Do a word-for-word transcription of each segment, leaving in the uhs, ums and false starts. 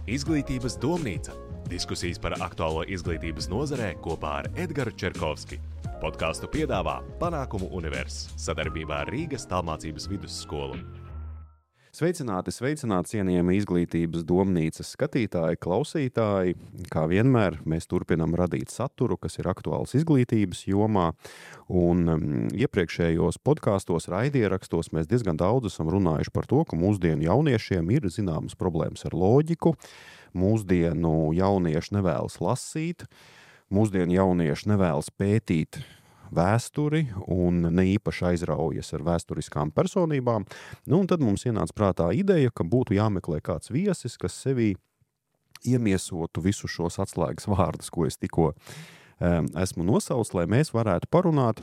Izglītības domnīca. Diskusijas par aktuālo izglītības nozarē kopā ar Edgaru Čerkovski. Podcastu piedāvā Panākumu Univers sadarbībā ar Rīgas tālmācības vidusskolu. Sveicināti, sveicināti, cienījami izglītības domnīcas skatītāji, klausītāji. Kā vienmēr, mēs turpinām radīt saturu, kas ir aktuāls izglītības jomā. Un um, iepriekšējos podkastos, raidierakstos mēs diezgan daudz esam runājuši par to, ka mūsdienu jauniešiem ir zināmas problēmas ar loģiku. Mūsdienu jaunieši nevēlas lasīt, mūsdienu jaunieši nevēlas pētīt vēsturi un ne īpaši aizraujas ar vēsturiskām personībām. Nu, un tad mums ienāca prātā ideja, ka būtu jāmeklē kāds viesis, kas sevī iemiesotu visu šos atslēgas vārdus, ko es tikko um, esmu nosaucis, lai mēs varētu parunāt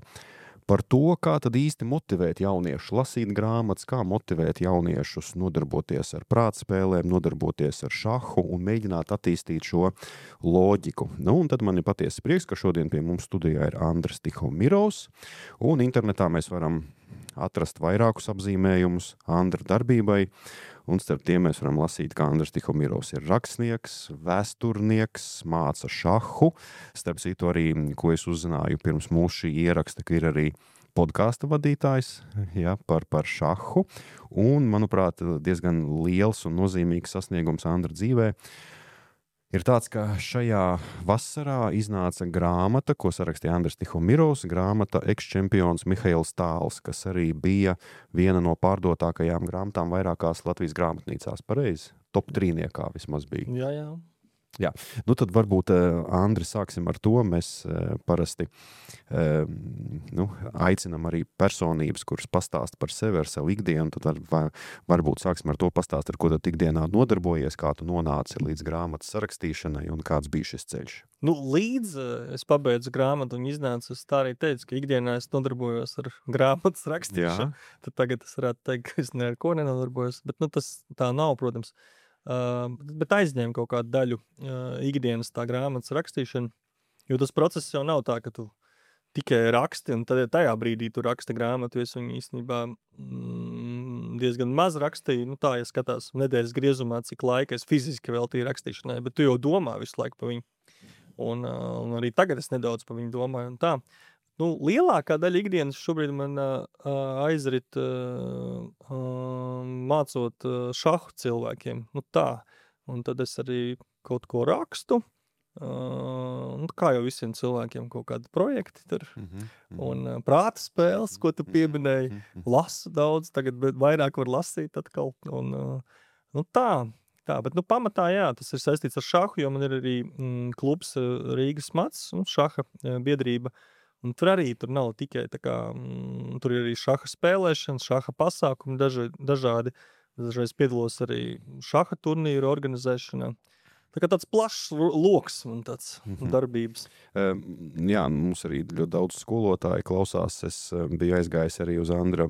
par to, kā tad īsti motivēt jauniešus lasīt grāmatas, kā motivēt jauniešus nodarboties ar prātspēlēm, nodarboties ar šahu un mēģināt attīstīt šo loģiku. Nu, un tad man ir patiesi prieks, ka šodien pie mums studijā ir Andris Tihomirovs, un internetā mēs varam atrast vairākus apzīmējumus Andra darbībai, un starp tiem mēs varam lasīt, ka Andris Tihomirovs ir rakstnieks, vēsturnieks, māca šahu. Starp citu arī, ko es uzzināju pirms mūsu šī ieraksta, ka ir arī podkāsta vadītājs, ja, par, par šahu, un, manuprāt, diezgan liels un nozīmīgs sasniegums Andra dzīvē ir tāds, ka šajā vasarā iznāca grāmata, ko sarakstīja Andris Tihomirovs, grāmata Ekščempions Mihails Tāls, kas arī bija viena no pārdotākajām grāmatām vairākās Latvijas grāmatnīcās. Pareizi? Top trīniekā vismaz bija. Jā, jā. Jā, nu tad varbūt, Andri, sāksim ar to. Mēs parasti nu, aicinam arī personības, kuras pastāsta par sevi, ar savu ikdienu. Tad var, varbūt sāksim ar to pastāst, ar ko tad ikdienā nodarbojies, kā tu nonāci līdz grāmatas sarakstīšanai un kāds bija šis ceļš. Nu, līdz es pabeidzu grāmatu un iznācu, es tā arī teicu, ka ikdienā es nodarbojos ar grāmatas rakstīšanu. Jā. Tad tagad es varētu teikt, ka es ne ar ko nenodarbojos, bet nu, tas tā nav, protams. Uh, bet aizņēma kaut kādu daļu uh, ikdienas tā grāmatas rakstīšana, jo tas process jau nav tā, ka tu tikai raksti un tad tajā brīdī tu raksti grāmatu, jo es viņu īstenībā mm, diezgan maz rakstīju, nu tā, ja skatās nedēļas griezumā, cik laika es fiziski veltīju rakstīšanai, bet tu jau domā visu laiku pa viņu, un, uh, un arī tagad es nedaudz pa viņu domāju un tā. Nu, lielākā daļa ikdienas šobrīd man uh, aizrit uh, uh, mācot uh, šahu cilvēkiem. Nu tā. Un tad es arī kaut ko rakstu. Uh, nu, kā jau visiem cilvēkiem kaut kādi projekti tur. Mm-hmm. Un uh, prāta spēles, ko tu pieminēji. Mm-hmm. Lasu daudz, tagad vairāk var lasīt atkal. Un, uh, nu tā. Tā, bet nu, pamatā jā, tas ir saistīts ar šahu, jo man ir arī mm, klubs uh, Rīgas Mats, un šaha uh, biedrība. Un tur arī tur nav tikai tā kā, mm, tur ir arī šaha spēlēšana, šaha pasākumi daži, dažādi. Dažreiz piedalos arī šaha turnīru organizēšanā. Tā kā tāds plašs loks un tāds mm-hmm. darbības. Uh, jā, mums arī ļoti daudz skolotāji klausās. Es uh, biju aizgājis arī uz Andra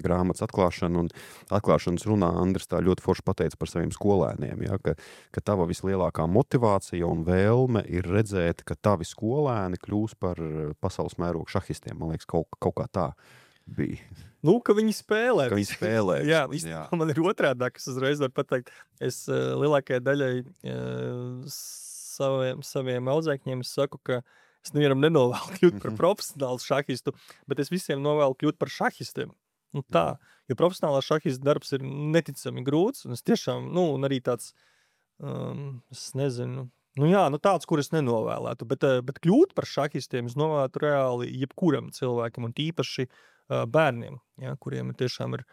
grāmatas atklāšanu, un atklāšanas runā Andris tā ļoti forši pateica par saviem skolēniem, ja, ka, ka tava vislielākā motivācija un vēlme ir redzēt, ka tavi skolēni kļūs par pasaules mērogu šahistiem. Man liekas, kaut, kaut kā tā bija. Nu, ka viņi spēlē. Ka viņi spēlē. Jā, jā. Man ir otrādā, kas uzreiz var pateikt. Es uh, lielākajai daļai uh, saviem, saviem audzēkņiem es saku, ka es nevienam nenovēlu kļūt par profesionālu šahistu, bet es visiem novēlu kļūt par šahistiem. Nu, tā, jo profesionālā šahista darbs ir neticami grūts, un es tiešām, nu, un arī tāds, um, es nezinu, nu jā, nu tāds, kur es nenovēlētu, bet, bet kļūt par šahistiem es novēlētu reāli jebkuram cilvēkam, un tīpaši bērniem, ja, kuriem ir tiešām ir,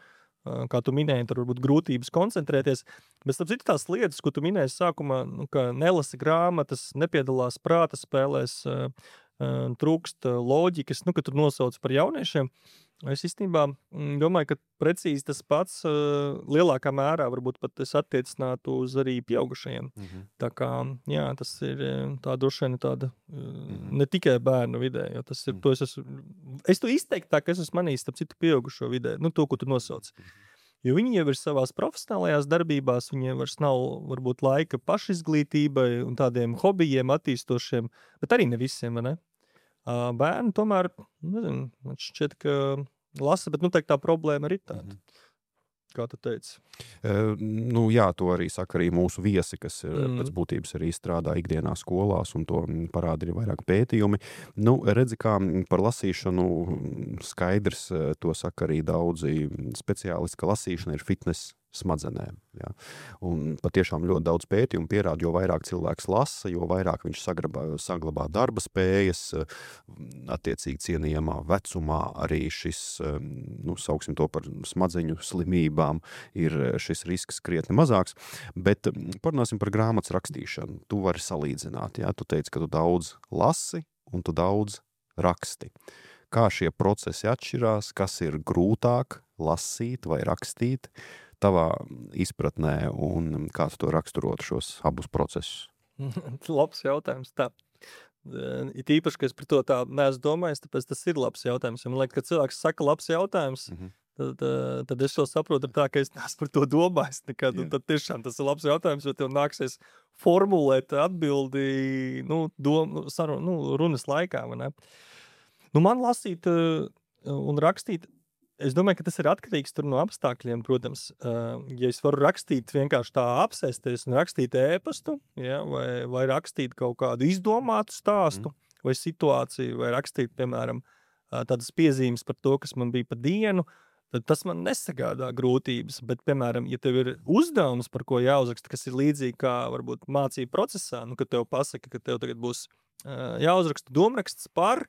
kā tu minēji, tur varbūt grūtības koncentrēties, bet starp citu tās lietas, ko tu minēji sākumā, nu, ka nelasi grāmatas, nepiedalās prāta spēlēs, trūkst loģikas, nu, ka tur nosauc par jauniešiem, es īstenībā domāju, ka precīzi tas pats lielākā mērā varbūt pat es attiecinātu uz arī pieaugušajiem. Mm-hmm. Tā kā, jā, tas ir tā droši vien tāda mm-hmm. ne tikai bērnu vidē, jo tas ir, to es esmu, es to izteiktu tā, ka es esmu manījis starp citu pieaugušo vidē, nu to, ko tu nosauc. Mm-hmm. Jo viņi jau ir savās profesionālajās darbībās, viņiem vairs nav varbūt laika pašizglītībai un tādiem hobijiem attīstošiem, bet arī ne visiem, vai ne? Bērni tomēr, nezinu, man šķiet, ka lasa, bet nu teikt tā problēma ir tāda. Mm-hmm. kā tu teici. Uh, nu, jā, to arī saka arī mūsu viesi, kas mm. pēc būtības arī strādā ikdienā skolās, un to parāda arī vairāk pētījumi. Nu, redzi, kā par lasīšanu skaidrs, to saka arī daudzi speciālisti, ka lasīšana ir fitness smadzenēm. Ja. Un patiešām ļoti daudz pētījumu pierāda, jo vairāk cilvēks lasa, jo vairāk viņš saglabā, saglabā darba spējas, attiecīgi cienījamā vecumā arī šis, nu, sauksim to par smadzeņu slimībām, ir šis risks krietni mazāks. Bet parunāsim par grāmatas rakstīšanu. Tu vari salīdzināt, ja. Tu teici, ka tu daudz lasi un tu daudz raksti. Kā šie procesi atšķirās, kas ir grūtāk lasīt vai rakstīt tavā izpratnē, un kā tu to raksturotu šos abus procesus? Labs jautājums. Tā. It īpaši, ka es par to tā neesmu domājis, tāpēc tas ir labs jautājums. Man liekas, ka cilvēks saka labs jautājums, mm-hmm. tad, tad es to saprotu tā, ka es neesmu par to domājis nekad. Un tad tiešām tas ir labs jautājums, jo tev nāksies formulēt atbildi, nu, dom, saru, nu runas laikā, vai ne? Nu, man lasīt un rakstīt, es domāju, ka tas ir atkarīgs tur no apstākļiem, protams. Ja es varu rakstīt vienkārši tā apsēsties un rakstīt ēpastu, ja, vai, vai rakstīt kaut kādu izdomātu stāstu mm. vai situāciju, vai rakstīt, piemēram, tādas piezīmes par to, kas man bija pa dienu, tad tas man nesagādā grūtības. Bet, piemēram, ja tev ir uzdevums, par ko jāuzraksta, kas ir līdzīgi kā varbūt mācību procesā, nu, kad tev pasaka, ka tev tagad būs jāuzraksta domraksts par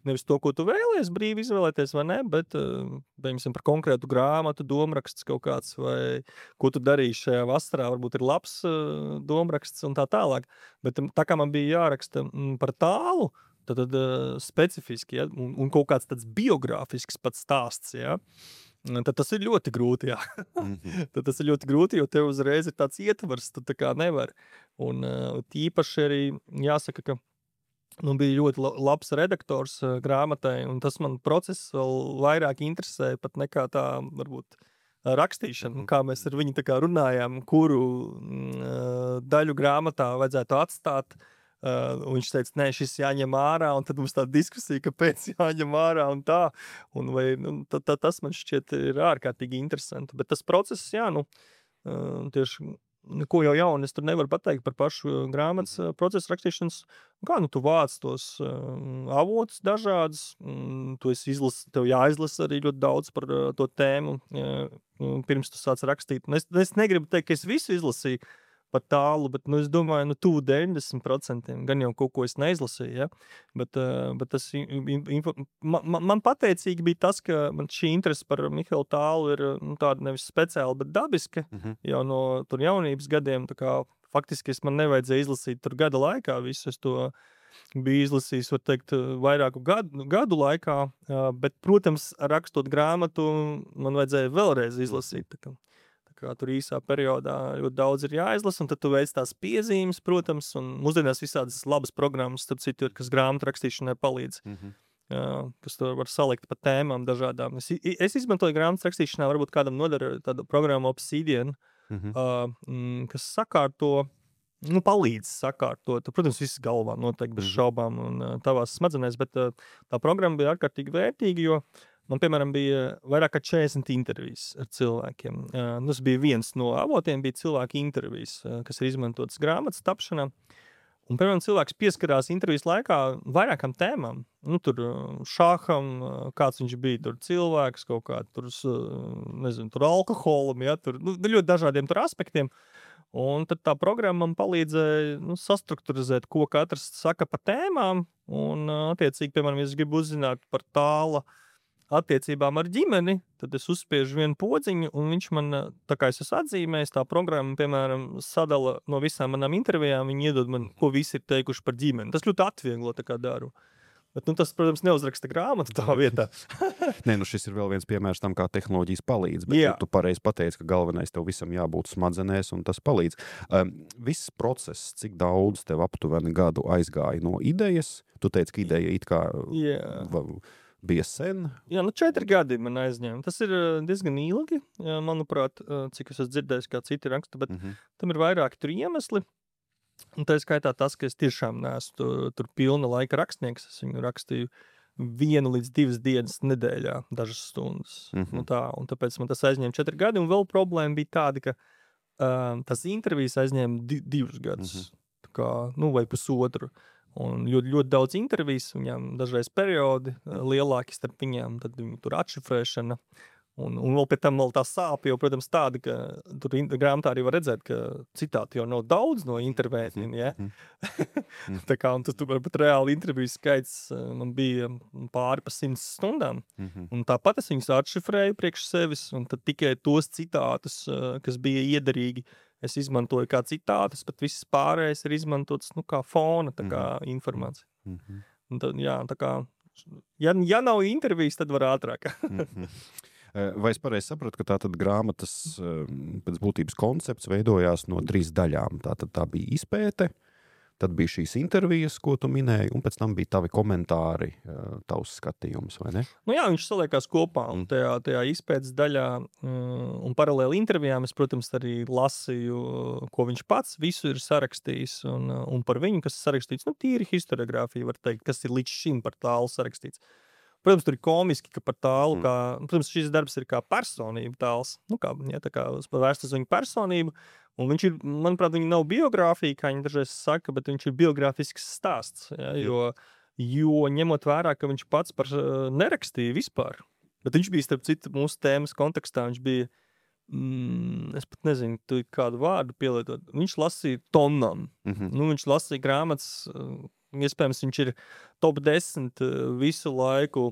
nevis to, ko tu vēlies brīvi izvēlēties, vai ne, bet, piemēram, par konkrētu grāmatu, domraksts kaut kāds, vai ko tu darīsi šajā vasarā, varbūt ir labs domraksts un tā tālāk. Bet tā kā man bija jāraksta par tālu, tad, tad specifiski, ja, un, un kaut kāds tāds biogrāfisks pats stāsts, ja, tad tas ir ļoti grūti, jā. Mm-hmm. Tad tas ir ļoti grūti, jo tev uzreiz ir tāds ietvars, tu tā kā nevar. Un tīpaši arī jāsaka, ka nu, bija ļoti labs redaktors uh, grāmatai, un tas man process vēl vairāk interesēja pat nekā tā, varbūt, uh, rakstīšana, kā mēs ar viņu tā kā runājām, kuru uh, daļu grāmatā vajadzētu atstāt, uh, un viņš teica, nē, šis jāņem ārā, un tad mums tā diskusija, kāpēc jāņem ārā un tā, un vai, nu, t- t- tas man šķiet ir ārkārtīgi interesanti, bet tas process, jā, nu, uh, tieši ko jau jaunu es tur nevaru pateikt par pašu grāmatas procesu rakstīšanas. Kā nu tu vāc tos uh, avotus dažādas, um, tu esi izlas, tev jāizlasa arī ļoti daudz par uh, to tēmu, uh, pirms tu sāc rakstīt. Un es, es negribu teikt, ka es visu izlasīju par tālu, bet nu, es domāju, nu tuvu deviņdesmit procentiem, gan jau kaut ko es neizlasīju, ja? bet, uh, bet tas info, man, man pateicīgi bija tas, ka man šī interese par Mihaelu Tālu ir nu, tāda nevis speciāla, bet dabiska, mm-hmm. jau no tur jaunības gadiem, tā kā faktiski es man nevajadzēja izlasīt tur gada laikā visu, es to biju izlasījis, var teikt, vairāku gadu, gadu laikā, uh, bet, protams, rakstot grāmatu, man vajadzēja vēlreiz izlasīt, tā kā. Kā tur īsā periodā ļoti daudz ir jāizlasa, un tad tu veic tās piezīmes, protams, un mūsdienās visādas labas programmas, starp citu, kas grāmatu rakstīšanai palīdz, mm-hmm. uh, kas to var salikt pa tēmām dažādām. Es, es izmantoju grāmatu rakstīšanā, varbūt kādam nodara tādu programmu Obsidian, mm-hmm. uh, kas sakārto, nu, palīdz sakārtot. Protams, viss galvā noteikti bez šaubām un uh, tavās smadzenēs, bet uh, tā programma bija ārkārtīgi vērtīga, jo man, piemēram, bija vairāk kā četrdesmit intervijas ar cilvēkiem. Uh, tas bija viens no avotiem, bija cilvēki intervijas, uh, kas ir izmantotas grāmatas tapšanā. Un, piemēram, cilvēks pieskarās intervijas laikā vairākām tēmām. Nu, tur šāham, kāds viņš bija, tur cilvēks, kaut kā tur, nezinu, tur alkoholam, ja, tur, nu, ļoti dažādiem tur aspektiem. Un tad tā programma man palīdzēja, nu, sastrukturizēt, ko katrs saka par tēmām. Un, attiecīgi, piemēram, ja es gribu uzzināt par Tāla attiecībām ar ģimeni, tad es uzspiežu vienu podziņu, un viņš man, tā kā es esmu atzīmējis, tā programma, piemēram, sadala no visām manām intervijām, viņi iedod man, ko visi ir teikuši par ģimeni. Tas ļoti atvieglo, tā kā daru. Bet, nu, tas, protams, neuzraksta grāmatu tā vietā. Nē, nu šis ir vēl viens piemērs tam, kā tehnoloģijas palīdz, bet Jā. tu pareizi pateici, ka galvenais tev visam jābūt smadzenēs, un tas palīdz. Um, viss process, cik daudz tev aptuveni gadu aizgāja no idejas, tu teici, ka ideja it kā... Jā. Va, bija sen? Jā, nu četri gadi man aizņēma. Tas ir diezgan ilgi, manuprāt, cik es esmu dzirdējis, kā citi raksta, bet mm-hmm. tam ir vairāki tur iemesli. Un tā ir skaitā tas, ka es tiešām neesmu tur, tur pilna laika rakstnieks. Es viņu rakstīju vienu līdz divas dienas nedēļā, dažas stundas. Mhm. Nu tā, un tāpēc man tas aizņēma četri gadi, un vēl problēma bija tāda, ka uh, tas intervijas aizņēma di divus gadus, Mhm. tā kā, nu, vai pusotru. Un ļoti, ļoti daudz intervijas, viņām dažreiz periodi uh, lielāki starp viņām, tad viņi tur atšifrēšana. Un, un vēl pēc tam vēl tā sāpe, jo, protams, tāda, ka tur in- grāmatā arī var redzēt, ka citāti jau nav daudz no intervētiem, ja? Tā kā, un tas tur varbūt reāli interviju skaits uh, man bija pāri pa simts stundām. Mhm. Un tāpat es viņus atšifrēju priekš sevis, un tad tikai tos citātus, uh, kas bija iederīgi, es izmantoju kā citātus, bet viss pārējais ir izmantots, nu, kā fona, tā kā informācija. Mhm. Un tad, jā, tā kā, ja, ja nav intervijas, tad var ātrāk. Mhm. Vai es pareizi saprotu, ka tā tad grāmatas pēc būtības koncepts veidojās no trīs daļām? Tā tad tā bija izpēte, tad bija šīs intervijas, ko tu minēji, un pēc tam bija tavi komentāri, tavs skatījums, vai ne? Nu jā, viņš saliekās kopā, un tajā, tajā izpētes daļā un paralēli intervijām es, protams, arī lasīju, ko viņš pats visu ir sarakstījis, un, un par viņu, kas ir sarakstīts, nu tīri historiogrāfija, var teikt, kas ir līdz šim par tālu sarakstīts. Protams, tur ir komiski, ka par tālu, kā, protams, šis darbs ir kā personība tāls, nu kā, ja, tā kā vērsts uz viņu personību, un viņš ir, manuprāt, viņa nav biogrāfija, kā viņi dažreiz saka, bet viņš ir biogrāfisks stāsts, ja, jo, jo ņemot vērā, ka viņš pats par nerakstīja vispār, bet viņš bija, starp citu, mūsu tēmas kontekstā, viņš bija, mm, es pat nezinu, tu kādu vārdu pielietot, viņš lasīja tonām, Mhm. nu, viņš lasīja grāmatas, iespējams, viņš ir top desmit visu laiku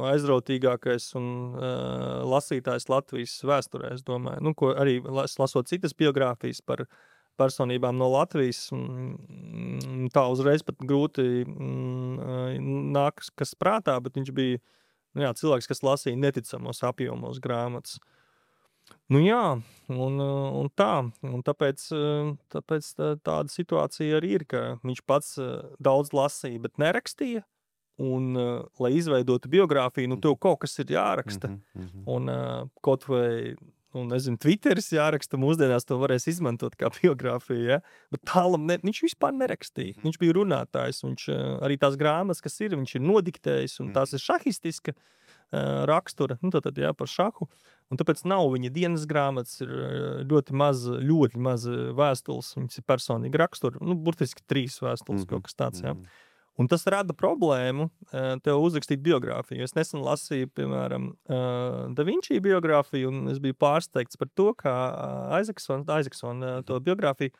aizrautīgākais un uh, lasītājs Latvijas vēsturē, es domāju. Nu, ko arī las, lasot citas biogrāfijas par personībām no Latvijas, mm, tā uzreiz pat grūti mm, nāk kas prātā, bet viņš bija nu jā, cilvēks, kas lasīja neticamos apjomos grāmatas. Nu jā, un, un tā, un tāpēc, tāpēc tāda situācija arī ir, ka viņš pats daudz lasīja, bet nerakstīja, un, lai izveidotu biogrāfiju, nu tev kaut kas ir jāraksta, Mhm. un kaut vai, nu nezinu, Twitteris jāraksta, mūsdienās to varēs izmantot kā biogrāfiju, ja? Bet tālam ne, viņš vispār nerakstīja, viņš bija runātājs, viņš arī tās grāmatas, kas ir, viņš ir nodiktējis, un tās ir šahistiska rakstura, nu tātad, jā, par šahu, un tāpēc nav viņa dienas grāmatas, ir ļoti maz, ļoti maz vēstules, viņas ir personīgi rakstura, nu, burtiski trīs vēstules, Mhm. kaut kas tāds, jā. Un tas rada problēmu tev uzrakstīt biogrāfiju. Es nesen lasīju, piemēram, Da Vinci biogrāfiju, un es biju pārsteigts par to, kā Aizaksons, Aizaksons to biogrāfiju,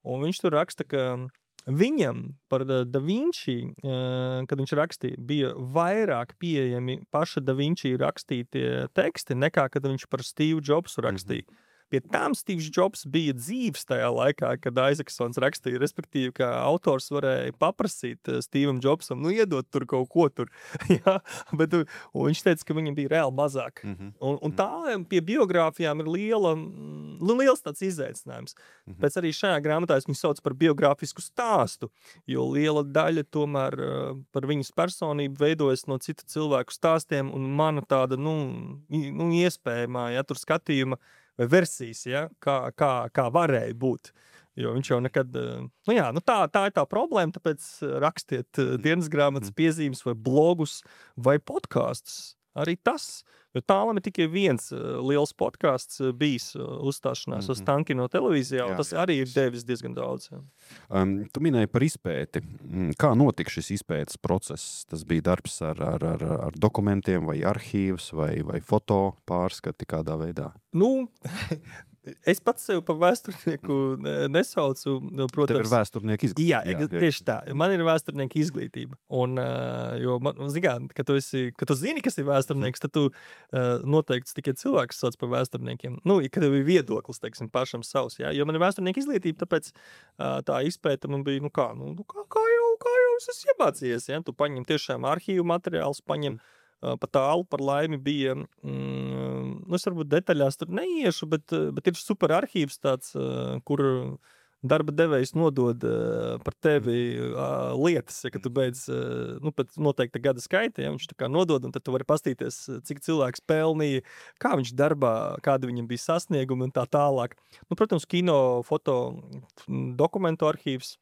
un viņš tur raksta, ka viņam par Da Vinci, kad viņš rakstīja, bija vairāk pieejami paša Da Vinci rakstītie teksti, nekā kad viņš par Steve Jobsu rakstīja. Mm-hmm. Pie tām Steve's Jobs bija dzīves tajā laikā, kad Aizaksons rakstīja, respektīvi, ka autors varēja paprasīt Steve'am Jobsam, nu iedot tur kaut ko tur. Jā, bet un viņš teica, ka viņam bija reāli mazāk. Mm-hmm. Un, un tā pie biogrāfijām ir liela, nu, liels tāds izaicinājums. Mm-hmm. Pēc arī šajā grāmatā es viņu sauc par biogrāfisku stāstu, jo liela daļa tomēr par viņas personību veidojas no citu cilvēku stāstiem, un mana tāda, nu, nu iespējamā, ja, tur skatījuma vai versijas, ja, kā, kā, kā varēja būt. Jo viņš jau nekad, nu jā, nu tā, tā ir tā problēma, tāpēc rakstiet dienas grāmatas piezīmes vai blogus vai podkastus. Arī tas, jo tālam ir tikai viens liels podcasts bijis uzstāšanās mm-hmm. uz Tankino televīzijā, un jā, tas jā. Arī ir devis diezgan daudz. Jā. Um, tu minēji par izpēti. Kā notika šis izpētes process? Tas bija darbs ar, ar, ar, ar dokumentiem vai arhīvs vai, vai foto pārskati kādā veidā? Nu, es pats sev par vēsturnieku nesaucu, protams. Tev ir vēsturnieka izglītība. Jā, jā, tieši tā. Man ir vēsturnieka izglītība. Un, jo, man, zigā, kad tu, esi, kad tu zini, kas ir vēsturnieks, tad tu noteikti tikai cilvēks sauc par vēsturniekiem. Nu, kad tev ir viedoklis, teiksim, pašam savs. Jā. Jo man ir vēsturnieka izglītība, tāpēc tā izpēta man bija, nu kā, nu, kā, kā jau, kā jau es esmu iemācījies. Ja? Tu paņem tiešām arhīvu materiālus, paņem pa tālu par laimi bija, mm, nu es varbūt detaļās tur neiešu, bet, bet ir super arhīvs tāds, kur darba devējs nodod par tevi lietas, ja, kad tu beidz, nu, pēc noteikta gada skaita, ja, viņš tā kā nodod, un tad tu vari pastīties, cik cilvēks pelnīja, kā viņš darbā, kāda viņam bija sasniegumi un tā tālāk. Nu, protams, kino, foto, dokumentu arhīvs,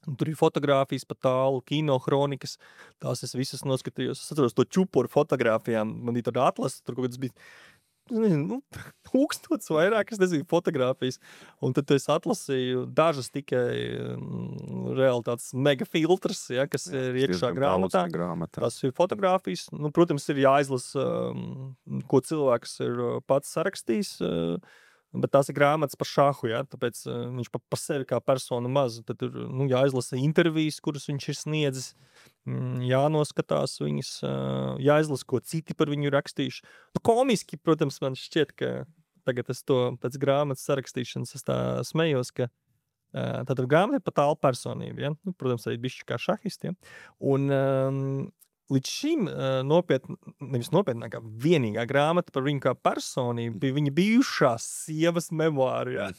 Tur ir fotogrāfijas pa tālu, kino kronikas, tās es visas noskatījos. Es atceros to čuporu fotogrāfijām, man bija tāda atlase, tur kaut kāds bija, nezinu, nu, tūkstots vairāk, es nezinu, fotogrāfijas. Un tad es atlasīju dažas tikai um, reāli tāds mega filtrs, ja, kas Jā, ir iekšā grāmatā. grāmatā. Tas ir fotogrāfijas. Nu, protams, ir jāizlasa, um, ko cilvēks ir pats sarakstījis, uh, bet tās ir grāmatas par šahu, ja? Tāpēc uh, viņš pa, pa sevi kā persona maz. Tad ir nu, jāizlasa intervijas, kuras viņš ir sniedzis, mm, jānoskatās viņas, uh, jāizlasa, ko citi par viņu rakstījuši. Nu, komiski, protams, man šķiet, ka tagad es to pēc grāmatas sarakstīšanas es tā smējos, ka uh, tātad grāmata ir pa tālu personību, ja? Nu, protams, arī bišķi kā šahistiem. Un um, līdz šim uh, nopietn, nevis nopietnākā, vienīgā grāmata par viņu kā personību bija viņa bijušās sievas memoāri. Ja?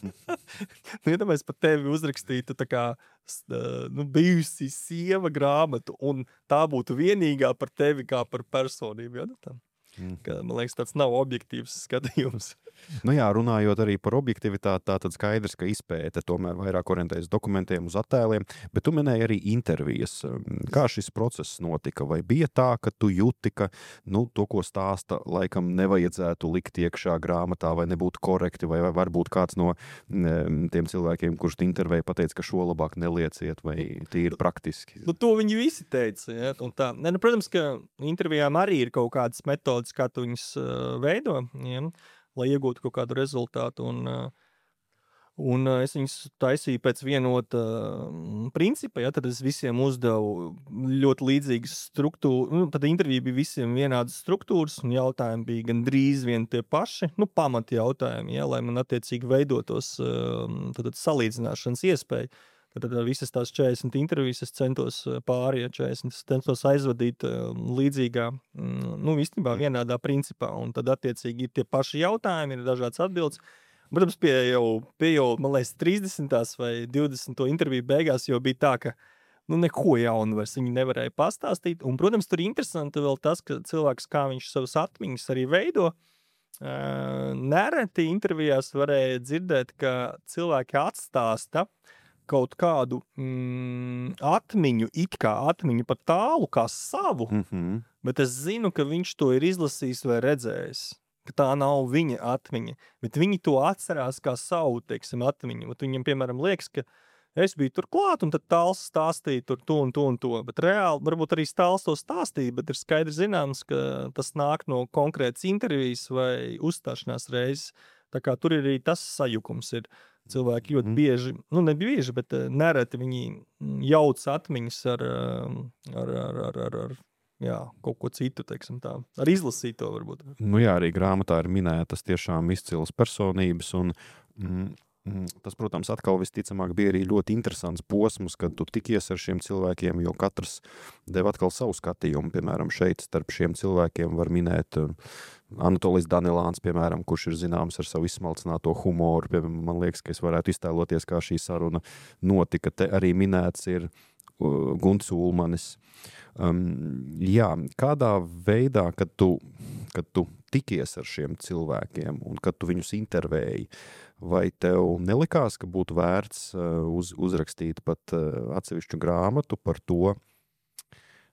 Nu, ja mēs par tevi uzrakstītu tā kā uh, nu, bijusi sieva grāmatu, un tā būtu vienīgā par tevi kā par personību. Ja? Nu, tā. Mm. Ka, man liekas, tāds nav objektīvs skatījums. Nu jā, runājot arī par objektivitāti, tā tad skaidrs, ka izpēte tomēr vairāk orientējas dokumentiem uz attēliem, bet tu minēji arī intervijas. Kā šis process notika? Vai bija tā, ka tu jūti, ka nu, to, ko stāsta, laikam nevajadzētu likt iekšā grāmatā, vai nebūtu korekti, vai, vai varbūt kāds no tiem cilvēkiem, kurš intervēja, pateica, ka šo labāk nelieciet, vai tīri praktiski? Nu, to viņi visi teica. Ja? Un tā. Ne, nu, protams, ka intervijām arī ir kaut kādas metodas, kā tu viņus uh, veido, ja? Lai iegūtu kaut kādu rezultātu. Un, un es viņus taisīju pēc vienota principa, ja, tad es visiem uzdevu ļoti līdzīgas struktūras. Nu, tad intervija bija visiem vienādas struktūras, un jautājumi bija gandrīz vien tie paši, nu, pamati jautājumi, ja, lai man attiecīgi veidotos tad, salīdzināšanas iespēju. Tad, tad visas tās četrdesmit intervijas es centos pāri, ja četrdesmit es centos aizvadīt līdzīgā, nu, īstenībā vienādā principā, un tad attiecīgi ir tie paši jautājumi, ir dažādas atbildes. Protams, pie jau, pie jau, man liekas, trīsdesmitās vai divdesmito interviju beigās jau bija tā, ka nu, neko jaunu vairs viņi nevarēja pastāstīt, un, protams, tur ir interesanti vēl tas, ka cilvēks, kā viņš savas atmiņas arī veido, nereti intervijās varēja dzirdēt, ka cilvēki atstāsta kaut kādu mm, atmiņu, it kā atmiņu par tālu kā savu, Mm-hmm. bet es zinu, ka viņš to ir izlasījis vai redzējis, ka tā nav viņa atmiņa, bet viņi to atcerās kā savu, teiksim, atmiņu. Bet viņam, piemēram, liekas, ka es biju tur klāt, un tad tāls stāstīja tur to un to un to, bet reāli, varbūt arī tāls to stāstīja, bet ir skaidri zināms, ka tas nāk no konkrētas intervijas vai uzstāšanās reizes, tā kā tur arī tas sajukums ir. Cilvēki ļoti bieži, nu ne bieži, bet nereti viņi jauc atmiņas ar, ar, ar, ar, ar, ar jā, kaut ko citu, teiksim tā, ar izlasīto varbūt. Nu jā, arī grāmatā ir minētas tiešām izcilas personības, un mm, tas, protams, atkal visticamāk bija arī ļoti interesants posms, kad tu tikies ar šiem cilvēkiem, jo katrs deva atkal savu skatījumu. Piemēram, šeit starp šiem cilvēkiem var minēt Anatolijs Danilāns, piemēram, kurš ir zināms ar savu izsmalcināto humoru. Piemēram, man liekas, ka es varētu iztēloties, kā šī saruna notika. Te arī minēts ir uh, Gunts Ulmanis. Um, jā, kādā veidā, kad tu, kad tu tikies ar šiem cilvēkiem un kad tu viņus intervēji, vai tev nelikās, ka būtu vērts uh, uz, uzrakstīt pat uh, atsevišķu grāmatu par to,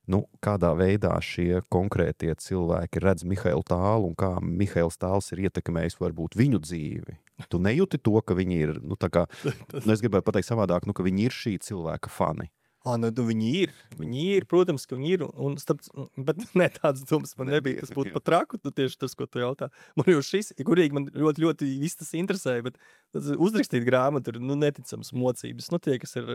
nu, kādā veidā šie konkrētie cilvēki redz Mihailu Tālu un kā Mihails Tāls ir ietekmējis varbūt viņu dzīvi? Tu nejūti to, ka viņi ir, nu, tā kā, nu, es gribētu pateikt savādāk, nu, ka viņi ir šī cilvēka fani. Ā, nu, viņi ir, viņi ir, protams, ka viņi ir, un starp, bet ne tāds domas man nebija, tas būtu pat traku, tu tieši tas, ko tu jautā. Man jau šis, kurīgi man ļoti, ļoti viss tas interesēja, bet uzrakstīt grāmatu ir, nu, neticams mocības, nu, tie, kas ir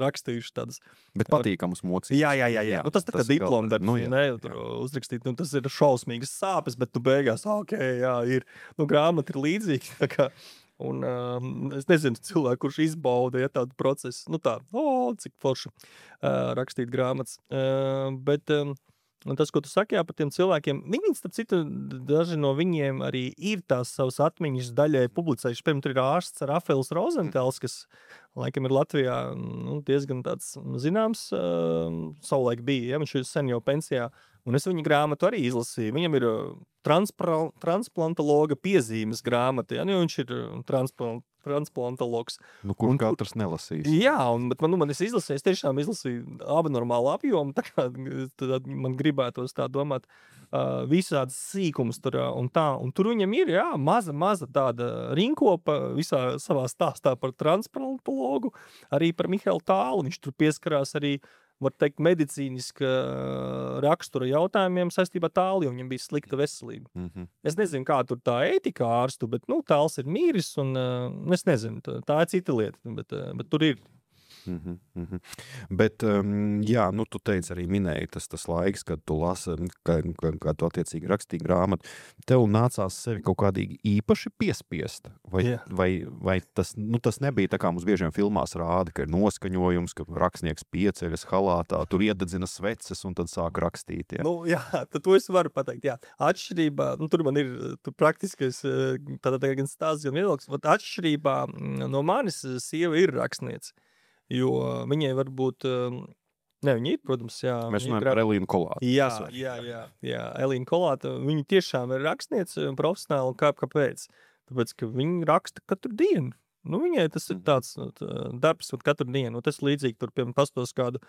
rakstījuši tādas. Bet patīkamas mocības. Jā, jā, jā, jā. Nu, tas tā kā diploma darbs, nu, jā, ne, tur jā. Uzrakstīt, nu, tas ir šausmīgas sāpes, bet tu beigās, ok, jā, ir, nu, grāmata ir līdzīga, tā kā. Un uh, es nezinu, cilvēku, kurš izbauda ja, tādu procesu, nu tā, o, cik forši uh, rakstīt grāmatas. Uh, bet um, tas, ko tu saki jā, par tiem cilvēkiem, viņi, starp citu, daži no viņiem arī ir tās savas atmiņas daļai publicējuši. Piemēram, tur ir ārsts Rafaels Rozentēls, kas laikam ir Latvijā nu, diezgan tāds zināms, uh, savulaik bija, ja, viņš ir sen jau pensijā. Un es viņa grāmatu arī izlasīju. Viņam ir transpra- transplantologa piezīmes grāmata, ja, nu, viņš ir transplant, transplantologs. Nu, kur Un kur- katrs nelasīs? Jā, un, bet man, nu, man es izlasīju, es tiešām izlasīju abnormālu apjomu, tā kā tad man gribētos tā domāt, uh, visādas sīkums tur, uh, un tā, un tur viņam ir, jā, maza, maza tāda rinkopa visā savā stāstā par transplantologu, arī par Mihailu Tālu, viņš tur pieskarās arī, var teikt, medicīniska uh, rakstura jautājumiem saistībā ar Tālu, jo viņam bija slikta veselība. Mhm. Es nezinu, kā tur tā ētika ārstu, bet, nu, Tāls ir mīris, un uh, es nezinu, tā, tā ir cita lieta, bet, uh, bet tur ir. Mhm, mhm. Bet, um, jā, nu, tu teici arī minēji tas, tas laiks, kad tu lasi, kad, kad, kad tu attiecīgi rakstīji grāmatu. Tev nācās sevi kaut kādīgi īpaši piespiest? Vai, Jā. vai, vai tas, nu, tas nebija tā kā mums biežiem filmās rāda, ka ir noskaņojums, ka rakstnieks pieceļas halātā, tur iededzina sveces un tad sāk rakstīt? Jā. Nu, jā, tad to es varu pateikt, jā. Atšķirībā, nu, tur man ir tur praktiskais, eh, tātad gan stāsts, gan viedoklis, bet atšķirībā mm, no manis eh, sieva ir rakstniece. Jo viņai varbūt, um, ne, viņa ir, protams, jā. Mēs viņa ir runājam gra- par Elīnu Kolātu. Jā, Tas var- jā, jā, jā. Elīna Kolāta, viņa tiešām ir rakstniece un profesionāli, un kā, kāpēc? Tāpēc, ka viņa raksta katru dienu. Nu, viņai tas ir tāds nu, tā, darbs un katru dienu. Un tas līdzīgi tur, piemēram, pastos kādu,